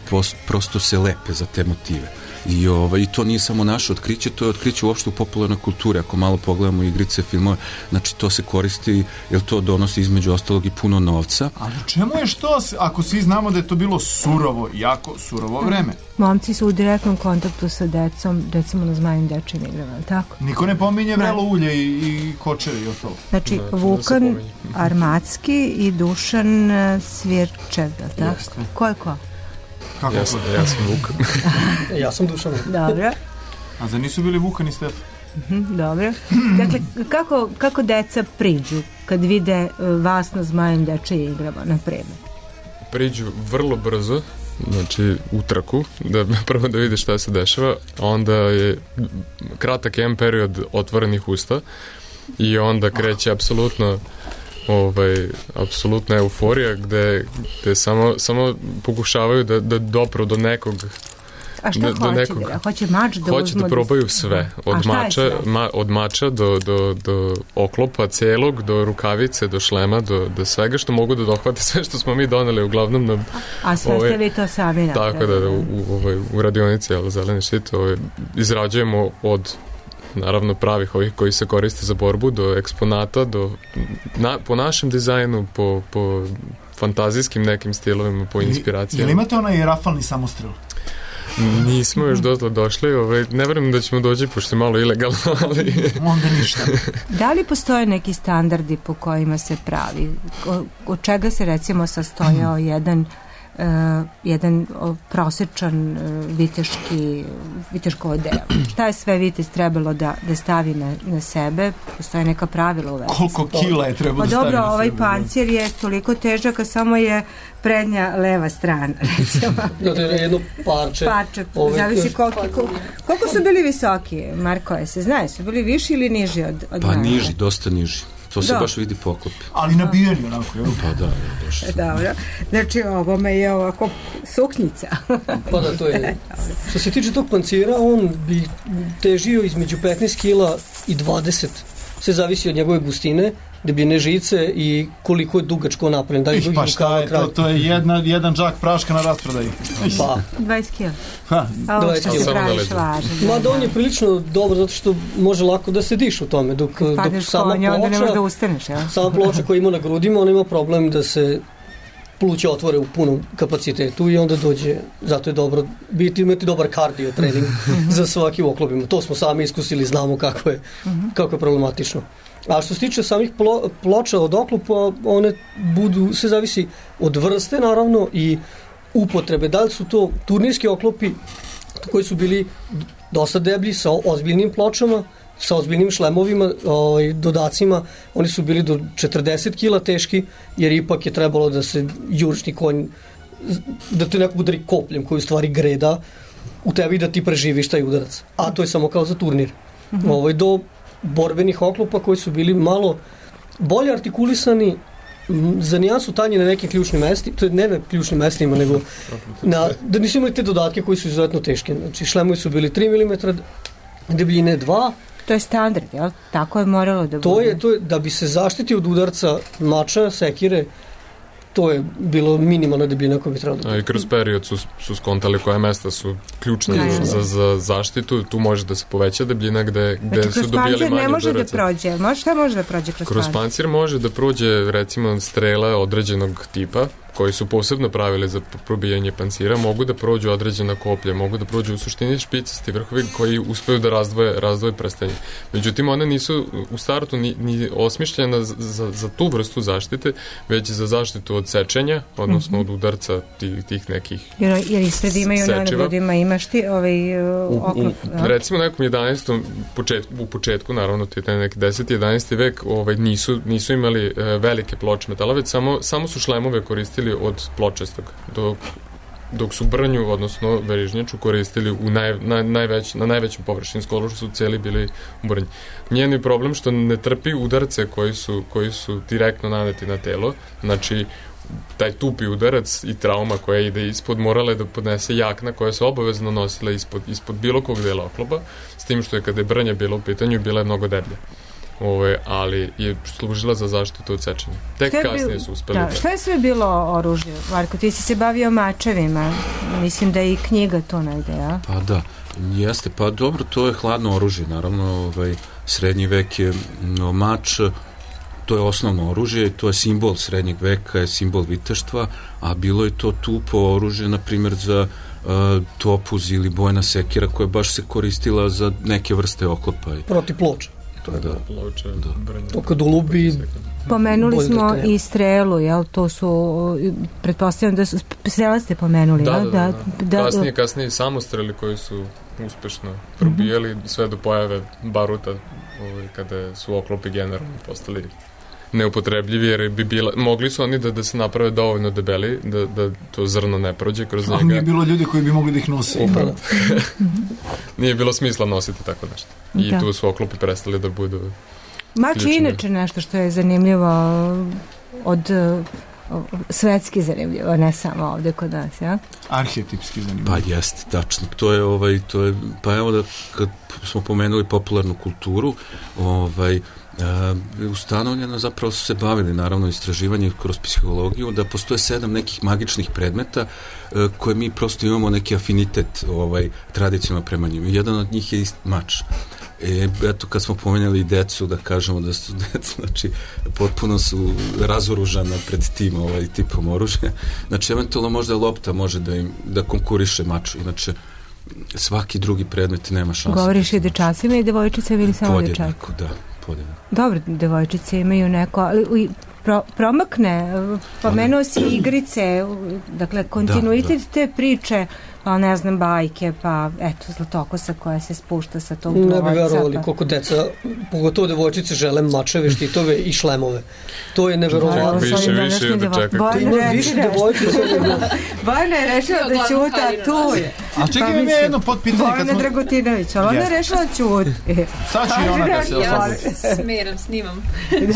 S13: post, prosto se lepe za te motive. I, ovaj, I to nije samo naše otkriće, to je otkriće uopšte u popularnoj kulturi. Ako malo pogledamo igrice, filmove, znači to se koristi, jer to donosi između ostalog i puno novca.
S2: Ali čemu je što, ako svi znamo da je to bilo surovo, jako surovo vreme?
S3: Momci su u direktnom kontaktu sa decom, recimo na Zmajim dečijim igrama, ali tako?
S2: Niko ne pominje vrelo ulje i, i kočeve i ostalo.
S3: Znači, da, Vukan Armacki i Dušan Svirčev, tako? Jeste. Ko je ko?
S5: Kako ja sam, ja sam Vukan.
S4: Ja sam Dušan.
S3: Dobro.
S2: A za nisu bili Vukan i Stefan?
S3: Mm-hmm, dobro. Dakle, kako, kako deca priđu kad vide vas na Zmajim dečijim igrama, na primjer?
S5: Priđu vrlo brzo, znači u trku, da prvo da vide šta se dešava, onda je kratak jedan period otvorenih usta i onda kreće apsolutno ovaj, apsolutna euforija gde, gde samo, samo pokušavaju da, da dopru do nekog.
S3: A šta
S5: do,
S3: hoće?
S5: Do nekog,
S3: da, hoće mač da
S5: hoće da probaju sve. Od mača, ma, od mača do, do, do oklopa celog, do rukavice, do šlema, do, do svega što mogu da dohvate, sve što smo mi doneli uglavnom na...
S3: A sve ovaj, ste vi to sami napravili.
S5: Tako da, da u, u, u radionici, ali zeleni štit, ovaj, izrađujemo od naravno pravih ovih koji se koriste za borbu, do eksponata, do, na, po našem dizajnu, po, po fantazijskim nekim stilovima, po inspiracijama.
S2: Je li imate onaj rafalni samostrel?
S5: Nismo još dotle došli, ovaj, ne verujem da ćemo doći, pošto je malo ilegalno, ali...
S2: Onda ništa.
S3: Da li postoje neki standardi po kojima se pravi? O, od čega se recimo sastojao jedan Uh, jedan uh, prosječan uh, viteški viteško odelo. Šta je sve vitez trebalo da, da stavi na, na sebe? Postoje neka pravila u vezi.
S2: Koliko kila je trebalo da stavi na sebe?
S3: Dobro, ovaj pancir je toliko težak, a samo je prednja leva strana, recimo.
S4: Da, to je jedno parče.
S3: Parče, zavisi koliko, koliko, koliko su bili visoki, Marko, je se znaje, su bili viši ili niži od, od
S13: Pa
S3: mene?
S13: niži, dosta niži. To se da. Baš vidi poklopi.
S2: Ali nabijeni onako, jel?
S13: Pa da, baš.
S3: Dobro. Znači, ovo me je ovako suknjica.
S4: Pa da, to je. Što se tiče tog pancira, on bi težio između petnaest kila i dvadeset. Sve zavisi od njegove gustine, debljine žice i koliko je dugačko napravljen. Da li
S2: Ih, pa šta je to? To je jedna, jedan džak praška na rasprodaji.
S4: Pa.
S3: dvadeset kila.
S2: Ha,
S3: dvadeset kila.
S4: Ma da on je prilično dobro zato što može lako da se diš u tome. Dok, dok sama
S3: konja,
S4: ploča,
S3: ne može da ustaneš, ja?
S4: sama ploča koja ima na grudima, on ima problem da se pluća otvore u punom kapacitetu i onda dođe, zato je dobro biti, imati dobar kardio trening za svaki oklopima. To smo sami iskusili, znamo kako je, kako je problematično. A što se tiče samih plo, ploča od oklopa, one budu, sve zavisi od vrste naravno i upotrebe. Da li su to turnirski oklopi koji su bili dosta deblji sa ozbiljnim pločama, sa ozbiljnim šlemovima, ovaj, dodacima, oni su bili do četrdeset kila teški, jer ipak je trebalo da se južni konj, da te neko udari kopljem koji u stvari greda u tebi da ti preživiš taj udarac. A to je samo kao za turnir. Mm-hmm. Ovaj, do borbenih oklopa koji su bili malo bolje artikulisani, za nijansu tanji na nekim ključnim mestima, to je ne na ključnim mestima, nego na, da nisu imali te dodatke koji su izuzetno teške. Znači, šlemovi su bili tri milimetra, debljine dva.
S3: To je standard, jel? Tako je moralo da
S4: to
S3: bude.
S4: Je, to je, da bi se zaštitio od udarca mača, sekire, to je bilo minimalna debljina koja bi trebalo da...
S5: A i kroz period su, su skontali koje mesta su ključne
S3: ne,
S5: za, za zaštitu, tu može da se poveća debljina gde, gde
S3: znači,
S5: su dobijali manje udaraca.
S3: ne može da prođe, može, šta može da prođe kroz,
S5: kroz pancir? Kroz pancir može da prođe recimo strela određenog tipa, koji su posebno pravili za probijanje pancira, mogu da prođu određena koplja, mogu da prođu u suštini špicasti vrhovi koji uspeju da razdvoje, razdvoje prstenje. Međutim, one nisu u startu ni, ni osmišljena za, za, za tu vrstu zaštite, već za zaštitu od sečenja, odnosno mm-hmm. od udarca tih, tih nekih
S3: jer, jer i sad imaju na nadvodima, imaš ti ovaj uh, oklop.
S5: U, u, recimo nekom jedanaestom početku, u početku, naravno, to je taj neki deseti jedanaesti vek, ovaj, nisu, nisu imali uh, velike ploče metala, već samo, samo su šlemove koristili od pločastog, dok, dok su brnju, odnosno verižnjaču, koristili u naj, na, najveć, na najvećem površini, skoro što su celi bili u brnju. Njen je problem što ne trpi udarce koji su, koji su direktno naneti na telo, znači taj tupi udarac i trauma koja ide ispod morala je da podnese jakna koja se obavezno nosila ispod, ispod bilo kog dela oklopa, s tim što je kada je brnja bila u pitanju, bila je mnogo deblja. Ove, ali je služila za zaštitu od sečenja. Tek kasnije bil, su uspeli.
S3: Da, šta je sve bilo oružje? Marko, ti si se bavio mačevima. Mislim da je i knjiga to negde, a?
S13: Pa da, jeste. Pa dobro, to je hladno oružje. Naravno, ovaj, srednji vek je no, mač, to je osnovno oružje i to je simbol srednjeg veka, je simbol viteštva, a bilo je to tupo oružje, na primjer, za uh, topuz ili bojna sekira koja baš se koristila za neke vrste oklopa.
S4: Proti ploča.
S13: To je da.
S5: Ploče, da.
S4: To kad ulubi...
S3: Pomenuli smo i strelu, jel? To su, pretpostavljam da su, strela ste pomenuli,
S5: da,
S3: jel?
S5: Da, da, da. da kasnije, kasnije samostreli koji su uspešno probijali mm-hmm. sve do pojave baruta, ovaj, kada su oklopi generalno postali neupotrebljivi, jer bi bila, mogli su oni da, da se naprave dovoljno debeli, da, da to zrno ne prođe kroz njega.
S2: Ali nije bilo ljudi koji bi mogli da ih nose.
S5: Upravo. Nije bilo smisla nositi tako nešto. I da. Tu su oklopi prestali da budu...
S3: Mač je inače nešto što je zanimljivo od svetski zanimljivo, ne samo ovde kod nas, ja?
S2: Arhetipski zanimljivo.
S13: Pa jeste, tačno. To je, ovaj, to je, pa evo da kad smo pomenuli popularnu kulturu, ovaj, Uh, ustanovljeno, zapravo su se bavili naravno istraživanje kroz psihologiju, da postoje sedam nekih magičnih predmeta uh, koje mi prosto imamo neki afinitet ovaj, tradicionalno prema njima. Jedan od njih je mač. E, eto, kad smo pomenjali decu, da kažemo da su deca, znači, potpuno su razoružana pred tim ovaj, tipom oružja. Znači, eventualno možda lopta može da im da konkuriše maču, inače svaki drugi predmet nema šanse.
S3: Govoriš i dečacima i devojčicama ili samo dečacima?
S13: Podjednako, da. Podjednako.
S3: Dobro, devojčice imaju neko, ali pro, promakne, pomenuo si igrice, dakle, kontinuitet da, da. te priče, pa ne znam, bajke, pa eto, Zlatokosa koja se spušta sa tog dvojca.
S4: Ne bi verovali pa... koliko deca, pogotovo devojčice, žele mačeve, štitove i šlemove. To je neverovatno.
S5: Više, više da čekate.
S4: Ima više devojčice.
S3: Bojana je rešila da ćuta tu je.
S2: A čekaj, pa, mi je jedno potpitanje.
S3: Bojana smo... Dragutinović, ali ona je rešila ćuti.
S2: Sad ću i ona da se oslobodi.
S20: Ja smeram, snimam.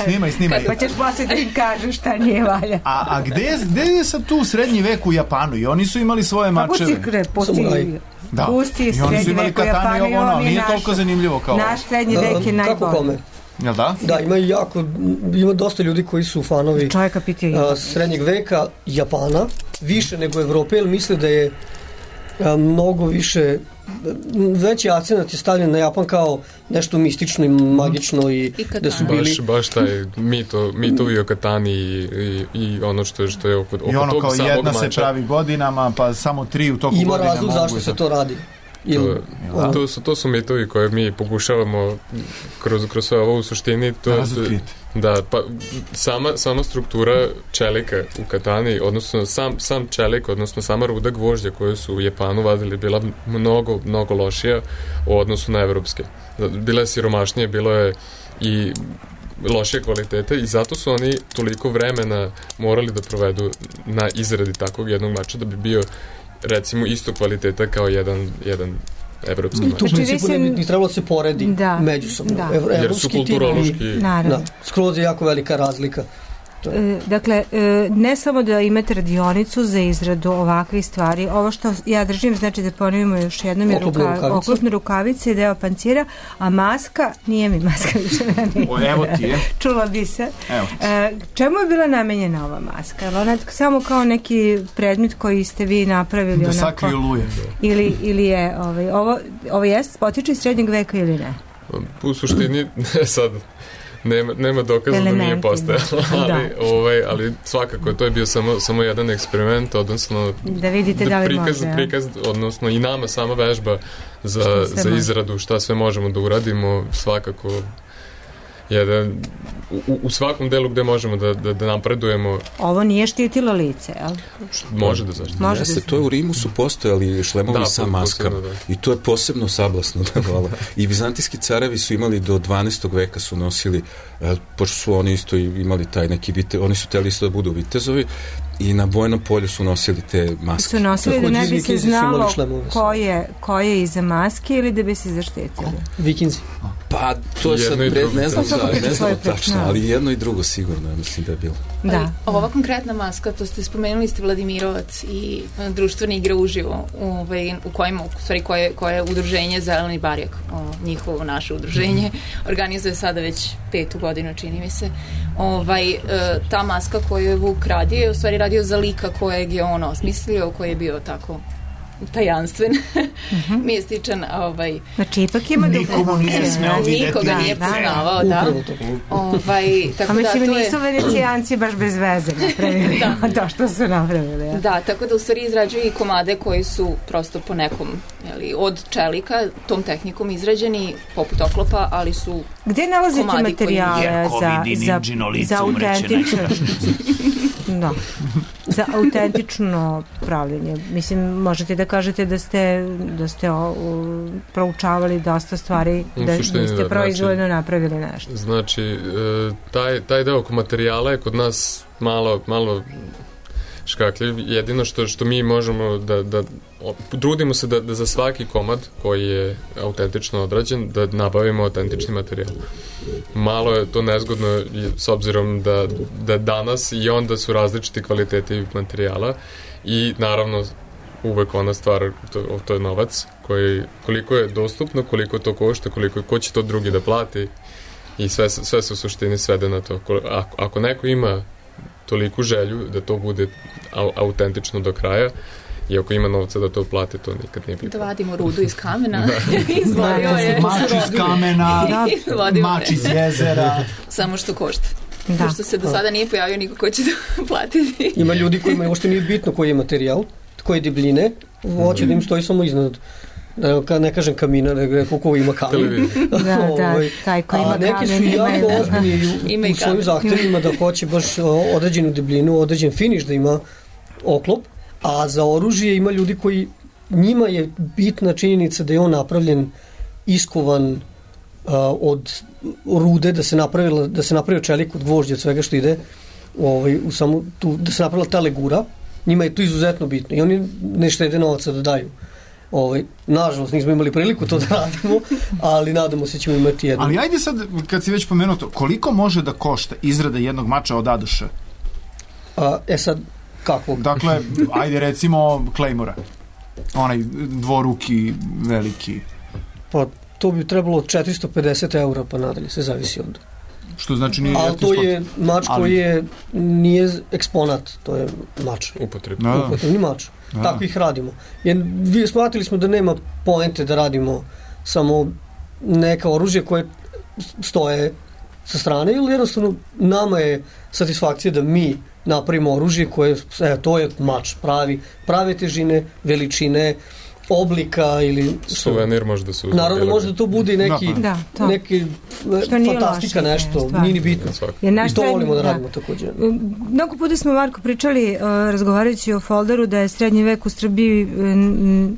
S2: Snimaj, snimaj.
S3: Pa ćeš posle da im kažu šta nije valja.
S2: A, a gde, gde je sad tu srednji vek u Japanu? I oni su imali svoje mačeve.
S3: Pusti,
S2: da.
S3: pusti
S2: i oni su imali katane i ovo ono, nije naš, toliko zanimljivo kao
S3: naš srednji vek je najbolji.
S4: Kako kome?
S2: Jel da?
S4: Da, ima jako, ima dosta ljudi koji su fanovi
S3: a,
S4: srednjeg veka Japana, više nego Evrope, jer misle da je a, mnogo više, veći akcenat je stavljen na Japan kao nešto mistično i magično i, I da su bili...
S5: Baš, baš taj mito, mitovi o katani i, i, i ono što je, što je oko, oko
S2: I ono
S5: tog
S2: kao jedna
S5: mača.
S2: Se pravi godinama, pa samo tri u toku
S4: Ima
S2: godine mogu.
S4: Ima razlog zašto se to radi.
S5: To, to, su, to su mitovi koje mi pokušavamo kroz, kroz sve ovo u suštini to, to, da, pa sama, sama struktura čelika u katani, odnosno sam, sam čelik, odnosno sama ruda gvožđa koju su u Japanu vadili bila mnogo, mnogo lošija u odnosu na evropske. Bila je siromašnije, bilo je i lošije kvalitete i zato su oni toliko vremena morali da provedu na izradi takvog jednog mača da bi bio recimo isto kvaliteta kao jedan, jedan evropski mač.
S4: Tu u principu ne bi trebalo da se poredi da, međusobno.
S3: Da.
S4: Ev,
S5: Jer su kulturološki...
S4: Da, skroz je jako velika razlika.
S3: E, dakle, e, ne samo da imate radionicu za izradu ovakvih stvari, ovo što ja držim, znači da ponovimo još jednom je ruka, oklopne rukavice i deo pancira, a maska, nije mi maska više ne,
S2: o, evo ti je.
S3: Čula bi se. E, čemu je bila namenjena ova maska? Ona samo kao neki predmet koji ste vi napravili?
S2: Da onako, sakriju luje.
S3: Ili, ili je, ovaj, ovo, ovo jest potiče iz srednjeg veka ili ne?
S5: U suštini, ne sad, nema, nema dokaza da nije postojalo, ali,
S3: Da.
S5: ovaj, ali svakako to je bio samo, samo jedan eksperiment, odnosno
S3: Da vidite da li
S5: prikaz,
S3: može.
S5: prikaz, odnosno i nama sama vežba za,
S3: Šta sve
S5: za
S3: može.
S5: izradu, šta sve možemo da uradimo, svakako jedan, u, u svakom delu gde možemo da, da, da napredujemo,
S3: Ovo nije štitilo lice, jel?
S5: može da zaštiti.
S3: Može
S13: Jeste,
S3: da
S13: to je u Rimu su postojali šlemovi
S5: Da,
S13: sa
S5: po-
S13: maskama.
S5: posebno,
S13: I to je posebno sablasno da vola. I vizantijski carevi su imali do dvanaestog veka su nosili, e, pošto su oni isto imali taj neki vite, oni su teli isto da budu vitezovi i na bojnom polju su nosili te maske.
S3: Su nosili da ne bi se
S4: Vikinzi su
S3: znalo
S4: imali šlemove.
S3: ko je, ko je iza maske ili da bi se zaštitili.
S4: Vikinzi.
S13: Pa to je sad,
S5: Jedno i
S13: pre,
S5: drugo.
S13: ne znam,
S3: Pa to
S13: da,
S3: priča
S13: ne znam
S3: svoju priču,
S13: tačno,
S3: da.
S13: ali jedno i drugo sigurno, ja mislim da je bilo.
S3: Da.
S20: Ali ova konkretna maska, to ste spomenuli ste Vladimirovac i e, društvene igre uživo, ovaj, u kojima, u stvari koje, koje udruženje Zeleni barjak, o, njihovo naše udruženje, organizuje sada već petu godinu, čini mi se. Ovaj, e, ta maska koju je Vuk radio je u stvari radio za lika kojeg je on osmislio, koji je bio tako tajanstven, mističan, ovaj,
S3: Znači, ipak ima dugo
S2: Nikomu nije smeo vidjeti.
S20: nikoga nije
S3: Da,
S20: poznavao, da.
S4: Upravo to.
S20: Ovaj, tako
S3: A mislim,
S20: da, to je...
S3: nisu venecijanci baš bez veze napravili
S20: Da.
S3: to što su napravili. Ja.
S20: Da, tako da u stvari izrađuju i komade koji su prosto po nekom, jeli, od čelika, tom tehnikom izrađeni, poput oklopa, ali su
S3: Gde nalazite
S20: komadi koji-
S3: materijale
S2: Jerko
S3: za,
S2: vidi
S3: za,
S2: Ninđino lice,
S3: za
S2: umreće
S3: autentično da, za autentično pravljenje? Mislim, možete da kažete da ste, da ste o, o, proučavali dosta stvari,
S5: U
S3: da,
S5: suštini,
S3: da ste
S5: da,
S3: proizvoljno
S5: znači-
S3: napravili nešto.
S5: Znači, e, taj, taj deo oko materijala je kod nas malo, malo škakljiv. Jedino što, što mi možemo da, da o, trudimo se da, da za svaki komad koji je autentično odrađen, da nabavimo autentični materijal. Malo je to nezgodno i s obzirom da, da danas i onda su različiti kvaliteti materijala i naravno uvek ona stvar, to, to je novac, koji, koliko je dostupno, koliko to košta, koliko, ko će to drugi da plati i sve, se- sve se u suštini svede na to. Ko- Ako, ako neko ima toliku želju da to bude au, autentično do kraja i ako ima novca da to plati, to nikad nije
S20: da
S5: pitanje.
S20: vadimo rudu iz kamena, izvadio je.
S2: Mač iz kamena,
S20: Vadimo
S2: mač
S20: je.
S2: iz jezera.
S20: Samo što košta.
S3: Da.
S20: Pošto se do sada nije pojavio niko ko će da platiti.
S4: Ima ljudi kojima uopšte nije bitno koji je materijal, koje debljine, hoće da im stoji samo iznad, da ka- ne kažem kamina, nego koliko ima kamen.
S5: Televizija.
S3: Da, da,
S4: Ovaj,
S3: taj koji ima
S4: a neki su
S3: kamen, ima
S4: jako
S3: i-
S4: ozbiljni u,
S20: Ima i
S4: u svojim
S20: kamen.
S4: zahtevima da hoće baš o, određenu debljinu, određen finiš da ima oklop, a za oružje ima ljudi koji, njima je bitna činjenica da je on napravljen, iskovan a, od rude, da se napravila, da se napravio čelik od gvožđa, od svega što ide, ovaj, u samu, tu, da se napravila ta legura, njima je to izuzetno bitno i oni ne štede novaca da daju. Ovaj, nažalost, nismo imali priliku to da radimo, ali nadamo se ćemo imati jedno.
S2: Ali ajde sad, kad si već pomenuo to, koliko može da košta izrada jednog mača od A do Š?
S4: A, e sad, kakvog?
S2: Dakle, ajde recimo Claymora. Onaj dvoruki, veliki.
S4: Pa to bi trebalo od četiristo pedeset eura pa nadalje, sve zavisi od...
S2: Što znači nije
S4: Ali
S2: jeftin
S4: to
S2: sport.
S4: je mač
S2: Ali-
S4: koji je, nije eksponat, to je mač.
S5: Upotrebno.
S2: Da, da.
S4: Upotrebni mač.
S2: Da.
S4: Tako ih radimo. Jer vi shvatili smo da nema poente da radimo samo neka oružje koje stoje sa strane, ili jednostavno nama je satisfakcija da mi napravimo oružje koje, evo, to je mač, pravi, prave težine, veličine, oblika ili...
S5: Suvenir može da se uzme.
S4: Naravno, može da to bude i neki,
S3: Da, to.
S4: neki
S3: Što nije
S4: fantastika
S3: loše,
S4: nešto,
S3: stvarno.
S4: nije ni bitno.
S3: Jer naš
S4: I to
S3: srednji-
S4: volimo da
S3: da.
S4: radimo također.
S3: Mnogo puta smo, Marko, pričali, uh, razgovarajući o folderu, da je srednji vek u Srbiji n-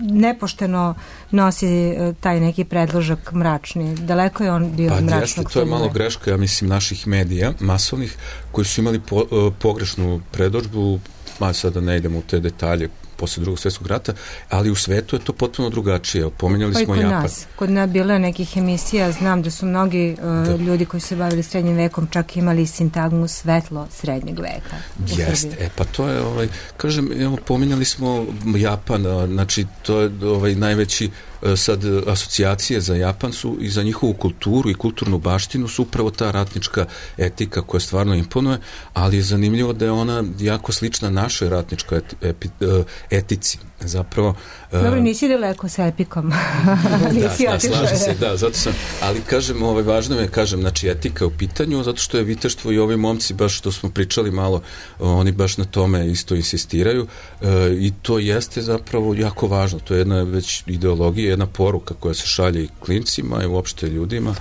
S3: nepošteno nosi uh, taj neki predložak mračni. Daleko je on bio
S13: Pa
S3: od
S13: jeste,
S3: mračnog
S13: to je
S3: srednjeg
S13: malo
S3: veka.
S13: greška, ja mislim, naših medija, masovnih, koji su imali po, e, pogrešnu predodžbu, ma sada ne idemo u te detalje, posle drugog svjetskog rata, ali u svetu je to potpuno drugačije. Pominjali
S3: Pa i
S13: smo
S3: kod
S13: Japan.
S3: nas. Kod nas bilo je nekih emisija, znam da su mnogi uh, ljudi koji se bavili srednjim vekom čak imali sintagmu svetlo srednjeg veka. u
S13: Jeste,
S3: Srbiji.
S13: e pa to je, ovaj, kažem, evo, pominjali smo Japan, a, znači to je ovaj najveći e, sad asocijacije za Japan su i za njihovu kulturu i kulturnu baštinu su upravo ta ratnička etika koja stvarno imponuje, ali je zanimljivo da je ona jako slična našoj ratničkoj eti, epi, e, etici. zapravo...
S3: Dobro, nisi daleko sa epikom. Nisi
S13: da, da,
S3: otišao.
S13: slažem se, da, zato sam, ali kažem, ovaj, važno je, kažem, znači, etika u pitanju, zato što je viteštvo i ovi momci, baš što smo pričali malo, oni baš na tome isto insistiraju e, i to jeste zapravo jako važno, to je jedna već ideologija, jedna poruka koja se šalje i klincima i uopšte ljudima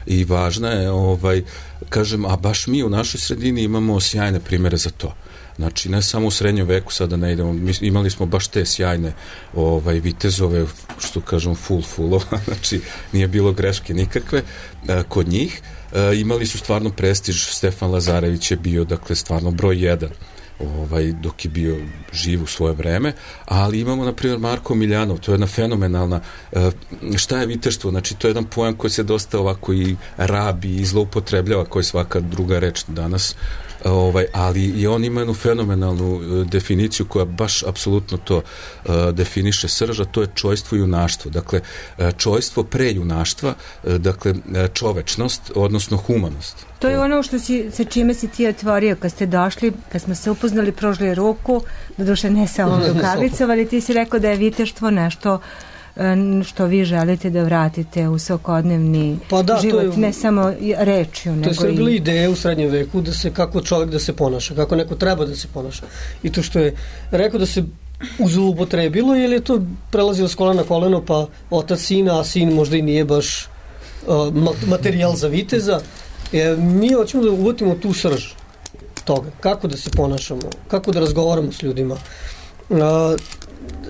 S13: i važna je, ovaj, kažem, a baš mi u našoj sredini imamo sjajne primere za to. Znači, ne samo u srednjem veku, sada ne idemo, mi imali smo baš te sjajne ovaj, vitezove, što kažem, full fullova, znači nije bilo greške nikakve e, kod njih. E, imali su stvarno prestiž, Stefan Lazarević je bio, dakle, stvarno broj jedan, ovaj, dok je bio živ u svoje vreme, ali imamo, na primjer, Marko Miljanov, to je jedna fenomenalna, e, šta je viteštvo? Znači, to je jedan pojam koji se dosta ovako i rabi i zloupotrebljava, koji je svaka druga reč danas, ovaj, ali i on ima jednu fenomenalnu uh, definiciju koja baš apsolutno to uh, definiše srža, to je čojstvo i junaštvo. Dakle, uh, čojstvo pre junaštva, uh, dakle, uh, čovečnost, odnosno humanost.
S3: To je ono što si, sa čime si ti otvorio kad ste došli, kad smo se upoznali, prožili ruku, doduše ne samo rukavicom, ali ti si rekao da je viteštvo nešto što vi želite da vratite u svakodnevni
S4: pa da,
S3: život,
S4: je,
S3: ne samo rečju.
S4: To je sve bile ideje u srednjem veku da se, kako čovjek da se ponaša, kako neko treba da se ponaša. I to što je rekao da se uzlupotrebilo, ili je to prelazilo s kolena na koleno, pa otac sina, a sin možda i nije baš uh, materijal za viteza. E, mi hoćemo da uvatimo tu srž toga, kako da se ponašamo, kako da razgovaramo s ljudima. Uh,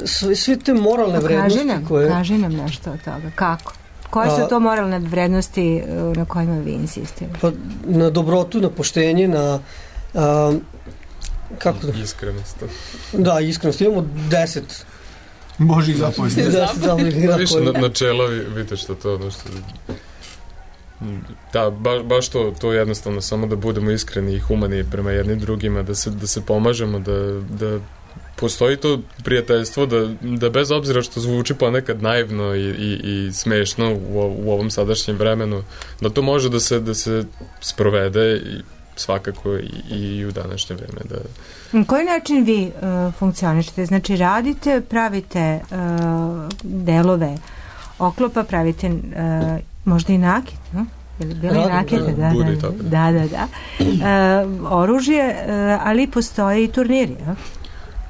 S4: sve, sve te moralne
S3: pa,
S4: vrednosti
S3: kaži nam,
S4: koje...
S3: Kaži nam nešto od toga, kako? Koje su to moralne vrednosti na kojima vi insistirate?
S4: Pa, na dobrotu, na poštenje, na... A, kako da...
S5: Iskrenost.
S4: Da, iskrenost. Imamo deset...
S2: Božih zapovesti.
S4: Deset zapovesti.
S5: Više na, načela, vidite što to ono što... Da, ba, baš to, to jednostavno, samo da budemo iskreni i humani prema jednim drugima, da se, da se pomažemo, da, da postoji to prijateljstvo, da, da bez obzira što zvuči ponekad naivno i, i, i smešno u, u ovom sadašnjem vremenu, da to može da se, da se sprovede i svakako i, i u današnje vreme. Da...
S3: Na koji način vi uh, funkcionišete? Znači radite, pravite uh, delove oklopa, pravite uh, možda i nakit, no? Ili bile i nakite, da, da, da, da, da. Uh, oružje, uh, ali postoje i turniri, ja?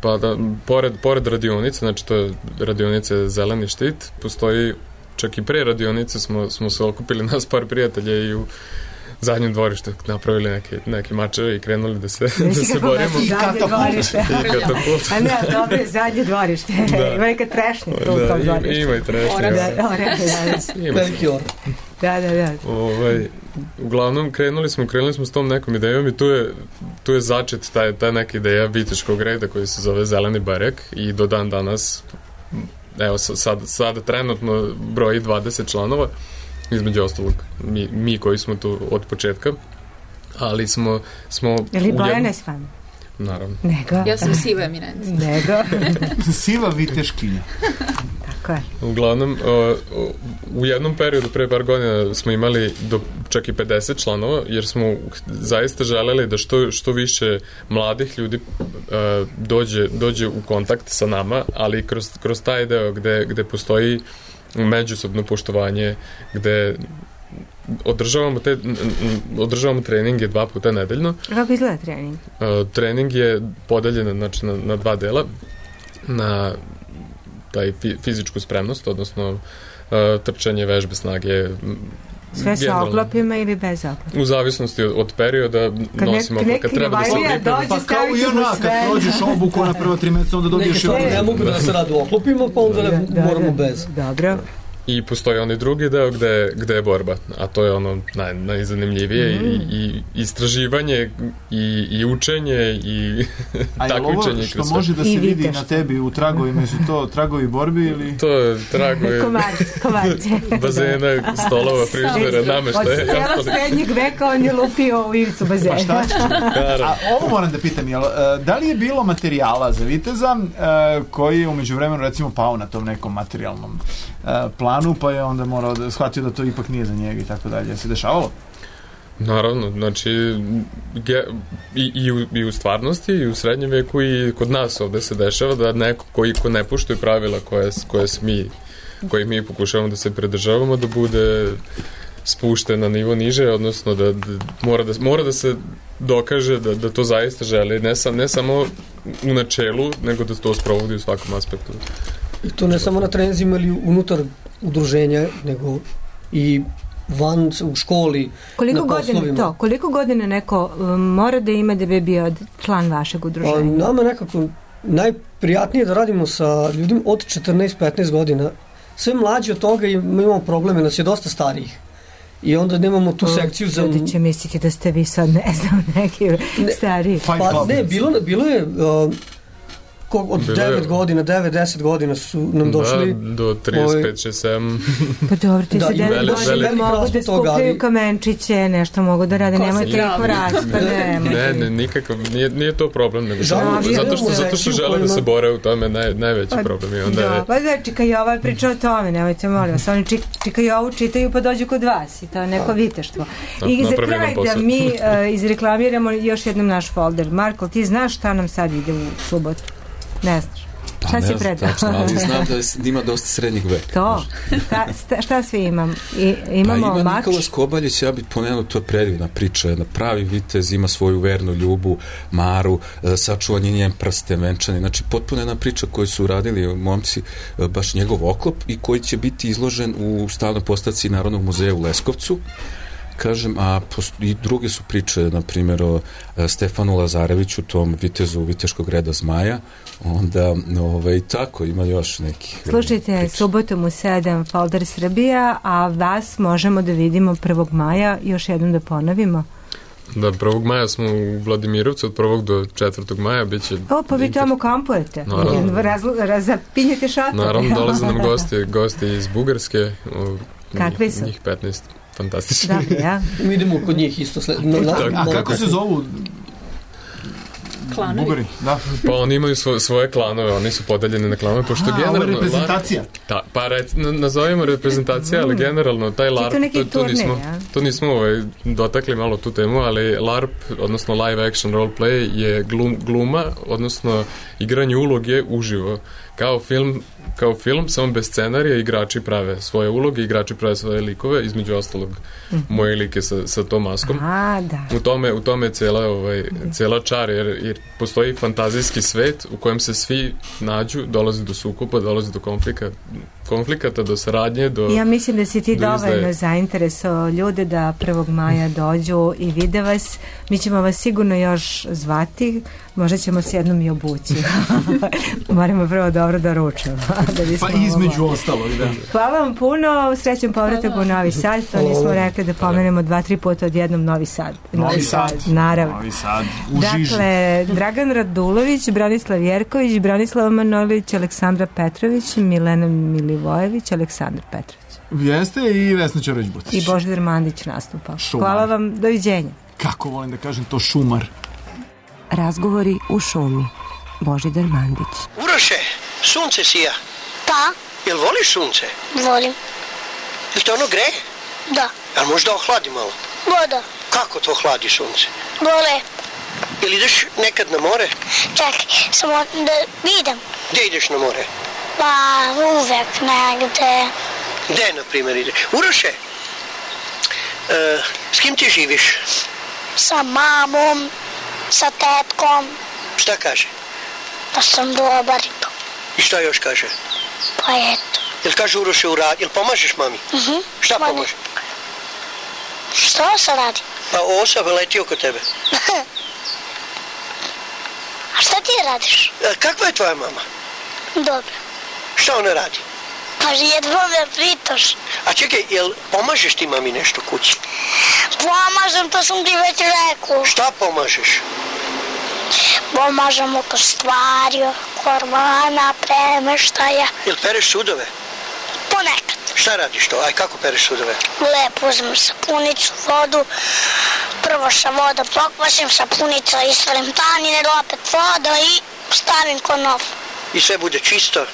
S5: Pa da, pored, pored radionice, znači to je radionice Zeleni štit, postoji, čak i pre radionice smo, smo se okupili nas par prijatelja i u zadnjem dvorištu napravili neke, neke mačeve i krenuli da se, da se borimo.
S3: I katapult. A ne, dobro je zadnje dvorište. Da. Ima neka trešnja u
S5: da,
S3: tom dvorištu.
S5: Ima i trešnja.
S3: Da, da,
S4: veliki or.
S3: Da, da, da.
S5: Ovaj, uglavnom, krenuli smo, krenuli smo s tom nekom idejom i tu je, tu je začet ta, ta neka ideja viteškog reda koji se zove Zeleni barjak i do dan danas, evo sad, sada trenutno broji dvadeset članova, između ostalog mi, mi koji smo tu od početka, ali smo... smo
S3: Ili Bojane s vama?
S5: Naravno.
S3: Nego.
S20: Ja sam siva eminencija.
S3: Nego.
S2: Siva viteškinja.
S3: Tako je.
S5: Uglavnom, uh, u jednom periodu, pre par godina, smo imali do čak i pedeset članova, jer smo zaista želeli da što, što više mladih ljudi uh, dođe, dođe u kontakt sa nama, ali kroz, kroz taj deo gde, gde postoji međusobno poštovanje, gde održavamo te održavamo treninge dva puta nedeljno.
S3: Kako izgleda trening?
S5: Uh, trening je podeljen znači, na, na dva dela, na taj fizičku spremnost, odnosno uh, trčanje, vežbe, snage.
S3: Sve sa oklopima ili bez oklopa?
S5: U zavisnosti od, od perioda kad nosimo oklop, kad treba da se pripremimo.
S2: Pa kao i ona, kad prođeš obuku na prvo tri meseca, onda dobiješ...
S4: Ne, ne mogu da se radi u oklopima, pa onda ne
S3: da,
S4: moramo
S3: da,
S4: bez.
S3: Dobro.
S5: I postoji onaj drugi deo gde, gde je borba, a to je ono naj, najzanimljivije mm. i, i istraživanje i, i učenje i takmičenje.
S2: A je ovo što može da se vidi na tebi u tragovima, su to tragovi borbi ili?
S5: To je tragovi bazena, stolova, frižidera, nameštaja.
S3: Od cijela srednjeg veka on je lupio u ivicu bazena.
S2: Pa šta ćeš? A ovo moram da pitam, jel, da li je bilo materijala za viteza koji je umeđu vremenu recimo pao na tom nekom materijalnom planu, pa je onda morao da shvatio da to ipak nije za njega i tako dalje. Se dešavalo?
S5: Naravno, znači ge, i, i, u, i u stvarnosti i u srednjem veku i kod nas ovde se dešava da neko koji ko ne poštuje pravila koje, koje mi koji mi pokušavamo da se pridržavamo da bude spušten na nivo niže, odnosno da, da, mora, da mora da se dokaže da, da to zaista želi, ne, sam, ne samo u načelu, nego da to sprovodi u svakom aspektu.
S4: I to ne samo na treninzima ili unutar udruženja, nego i van u školi,
S3: koliko
S4: na poslovima.
S3: Godina to, koliko godina neko um, mora da ima da bi bio član vašeg udruženja?
S4: A, nama nekako najprijatnije da radimo sa ljudima od četrnaest petnaest godina. Sve mlađi od toga imamo probleme, nas je dosta starijih. I onda nemamo tu sekciju za...
S3: Ljudi će misliti da ste vi sad, ne znam, neki ne, stariji.
S4: Pa ne, bilo, bilo je... Uh, od devet godina, devet deset godina su nam došli...
S5: Da, do trideset pet šezdeset sedam.
S3: Pa dobro, ti se devet godina mogu da skupljaju kamenčiće, nešto mogu da rade, nemojte ih vrati, pa ne.
S5: Ne, ne, nikakav, nije, nije to problem, nego zato što, zato što žele da se bore u tome, naj, najveći problem. I onda
S3: da,
S5: je...
S3: pa da, Čika Jova priča o tome, nemojte molim vas, oni Čika Jovu čitaju pa dođu kod vas i to je neko viteštvo. I za kraj da mi izreklamiramo još jednom naš folder. Marko, ti znaš šta nam sad ide u subotu? Ne znaš.
S13: Pa
S3: šta
S13: ne
S3: si predao?
S13: Tačno, ali znam da, je, da ima dosta srednjeg veka.
S3: To? Šta, šta sve imam? I, imamo
S13: pa ima
S3: mač?
S13: Nikola Skobaljić, ja bih pomenuo, to je predivna priča, jedna pravi vitez, ima svoju vernu ljubu, Maru, sačuvan je njen prsten venčani, znači potpuno jedna priča koju su uradili momci, baš njegov oklop i koji će biti izložen u stalnoj postavci Narodnog muzeja u Leskovcu. Kažem, a i druge su priče, na primjer, o Stefanu Lazareviću, tom vitezu Viteškog reda Zmaja, onda, ovaj, tako, ima još nekih...
S3: Slušajte, priče. Subotom u sedam Folder Srbija, a vas možemo da vidimo prvog maja, još jednom da ponovimo.
S5: Da, prvog maja smo u Vladimirovcu, od prvog do četvrtog maja bit će...
S3: O, pa vi tamo kampujete. Razapinjete šator.
S5: Naravno, dolaze nam gosti, gosti iz Bugarske.
S3: Kakvi su?
S5: Njih petnaest. Fantastično.
S3: Da, ja.
S4: Mi idemo kod njih isto sled. No,
S2: na, a kako se zovu?
S20: Klanovi.
S2: Bugari, da.
S5: Pa oni imaju svo, svoje klanove, oni su podeljeni na klanove, pošto
S2: a,
S5: generalno...
S2: ovo je reprezentacija?
S5: Ta, pa rec, nazovimo reprezentacija, ali generalno taj LARP, to, to nismo, to nismo ovaj, dotakli malo tu temu, ali LARP, odnosno live action role play, je glum, gluma, odnosno igranje uloge uživo. Kao film, kao film, samo bez scenarija, igrači prave svoje uloge, igrači prave svoje likove, između ostalog mm-hmm. moje like sa, sa tom maskom.
S3: A, da.
S5: U tome, u tome je cela, ovaj, cela čar, jer, jer postoji fantazijski svet u kojem se svi nađu, dolazi do sukoba, dolazi do konflika, konflikata, do saradnje, do...
S3: Ja mislim da si ti
S5: do
S3: dovoljno izdaje. zainteresovao ljude da prvog maja dođu i vide vas. Mi ćemo vas sigurno još zvati, možda ćemo se jednom i obući. Moramo prvo dobro da ručamo. Da
S2: pa između ostalog, da.
S3: Hvala vam puno, srećan povratak u Novi Sad, to nismo rekli da pomenemo dva, tri puta odjednom Novi Sad.
S2: Novi, Novi Sad, sad,
S3: naravno.
S2: Novi Sad, u
S3: dakle, Dragan Radulović, Branislav Jerković, Branislav Manojlović, Aleksandra Petrović, Milena Milivojević, Aleksandar Petrović.
S2: Jeste i Vesna Ćorović-Butić.
S3: I Božidar Mandić nastupa. Šumar. Hvala vam, doviđenja.
S2: Kako volim da kažem to, šumar.
S21: Razgovori u šumi. Božidar Mandić.
S22: Uroše, sunce sija.
S15: Da.
S22: Jel voliš sunce?
S15: Volim.
S22: Jel te ono greje?
S15: Da.
S22: Jel možda ohladi malo?
S15: Voda.
S22: Kako to hladi sunce?
S15: Vole.
S22: Jel ideš nekad na more?
S15: Čekaj, samo da idem.
S22: Gde ideš na more?
S15: Pa uvek negde.
S22: Gde, na primjer, ideš? Uroše, e, s kim ti živiš?
S15: Sa mamom, sa tetkom.
S22: Šta kaže?
S15: Da sam dobar i to.
S22: I šta još kaže?
S15: Pa eto.
S22: Jel kaže Uroše u rad? Jel pomažeš mami?
S15: Mhm.
S22: Šta pomažeš?
S15: Što se radi?
S22: Pa osa leti oko tebe.
S15: A šta ti radiš?
S22: A, kakva je tvoja mama?
S15: Dobro.
S22: Šta ona radi?
S15: Pa jedva me pritoš.
S22: A čekaj, jel pomažeš ti mami nešto kući?
S15: Pomažem, to sam ti već rekao.
S22: Šta pomažeš?
S15: Pomažem oko stvari, kormana, premeštaja.
S22: Jel pereš sudove?
S15: Ponekad.
S22: Šta radiš to? Aj, kako pereš sudove?
S15: Lepo uzmem sapunicu, vodu, prvo sa voda pokvasim, sapunica, isvalim tanine, opet voda i stavim ko nov.
S22: I sve bude čisto?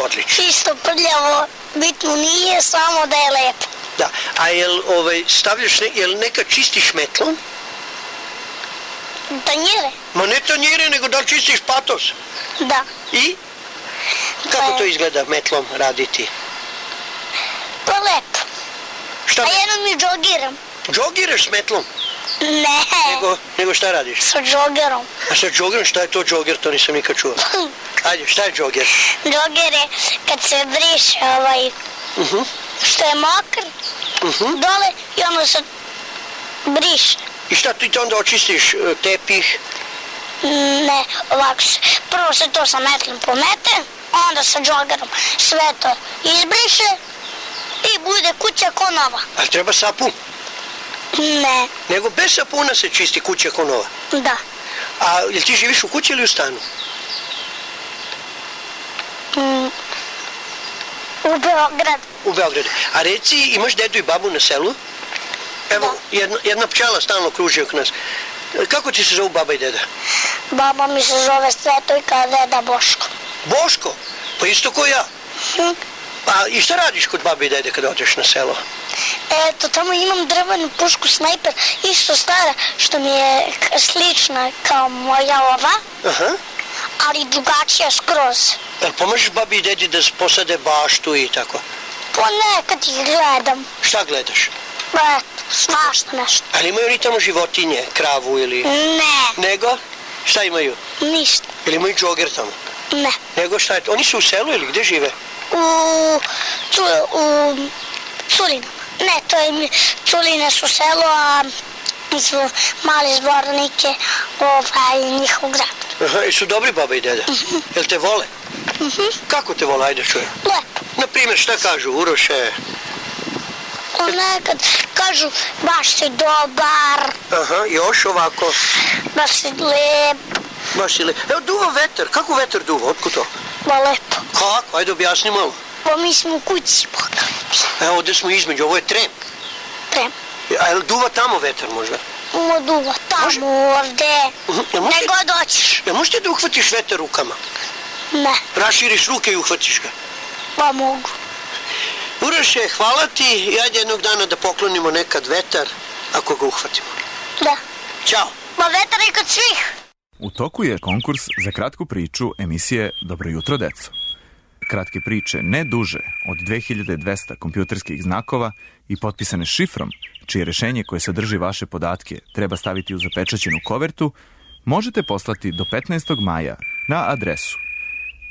S22: Odlično.
S15: Čisto, prljavo, bitno nije, samo da je lepo.
S22: Da, a jel ovaj, stavljaš, ne, jel neka čistiš metlom?
S15: Tanjire?
S22: Ma ne tanjire, nego da li čistiš patos?
S15: Da.
S22: I? Kako to izgleda metlom raditi?
S15: Pa lepo.
S22: Šta?
S15: A jednom mi džogiram.
S22: Džogiraš s metlom?
S15: Ne.
S22: Nego, nego šta radiš?
S15: Sa džogerom.
S22: A sa džogerom, šta je to džoger? To nisam nikad čuo. Ajde, šta je džoger?
S15: Džoger je kad se briše ovaj,
S22: uh-huh.
S15: što je mokar,
S22: uh-huh.
S15: dole i onda se briše.
S22: I šta ti to onda očistiš tepih?
S15: Ne, ovako se, prvo se to sa metlom pomete, onda sa džogerom sve to izbriše i bude kuća ko nova.
S22: Ali treba sapun?
S15: Ne.
S22: Nego bez sapuna se čisti kuća ko nova?
S15: Da.
S22: A jel ti živiš u kući ili u stanu?
S15: Mm. U Beogradu.
S22: U Beogradu. A reci, imaš dedu i babu na selu? Evo,
S15: da.
S22: jedna, jedna pčela stalno kruži oko nas. Kako ti se zovu baba i deda?
S15: Baba mi se zove Svetojka, a deda Boško.
S22: Boško? Pa isto ko ja.
S15: Hm.
S22: A i šta radiš kod babe i dede kada odeš na selo?
S15: Eto, tamo imam drvenu pušku snajper, isto stara, što mi je slična kao moja ova,
S22: aha,
S15: ali drugačija skroz.
S22: Jel pomažeš babi i dedi da posade baštu i tako?
S15: Ponekad ih gledam.
S22: Šta gledaš?
S15: Eto, svašta nešto.
S22: Ali imaju oni tamo životinje, kravu ili...
S15: Ne.
S22: Nego? Šta imaju?
S15: Ništa.
S22: Ili imaju džoger tamo?
S15: Ne.
S22: Nego šta je to? Oni su u selu ili gde žive?
S15: U... Ču, u... Culinama. Ne, to je... Culine su selo, a... su mali zbornike, ovaj, njihov grad.
S22: Aha, i su dobri baba i deda?
S15: Uh-huh.
S22: Jel te vole?
S15: Uh-huh.
S22: Kako te vole, ajde čujem?
S15: Lepo.
S22: Naprimjer, šta kažu, Uroše?
S15: Nekad kažu, baš si dobar.
S22: Aha, još ovako?
S15: Baš si lep.
S22: Baš si lep. Evo, duva vetar. Kako vetar duva? Otkud to?
S15: Ba lepo.
S22: Kako? Ajde, objasni malo.
S15: Pa mi smo u kući.
S22: Evo, ovdje smo između, ovo je trem.
S15: Trem.
S22: A je li duva tamo vetar možda?
S15: Mo duva, tamo, Može? ovde.
S22: Uh-huh.
S15: Ne god doćiš.
S22: Jel možeš ti da uhvatiš vetar rukama?
S15: Ne.
S22: Raširiš ruke i uhvatiš ga?
S15: Pa mogu.
S22: Uroše, hvala ti i ajde jednog dana da poklonimo nekad vetar, ako ga uhvatimo.
S15: Da.
S22: Ćao.
S15: Pa vetar je kod svih.
S2: U toku je konkurs za kratku priču emisije Dobro jutro, deco. Kratke priče ne duže od dve hiljade dvesta kompjuterskih znakova i potpisane šifrom, čije rešenje koje sadrži vaše podatke treba staviti u zapečaćenu kovertu, možete poslati do petnaestog maja na adresu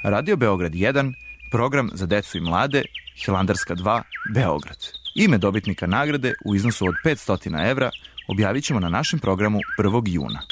S2: Radio Beograd jedan, program za decu i mlade, Hilandarska dva, Beograd. Ime dobitnika nagrade u iznosu od petsto evra objavit ćemo na našem programu prvog juna.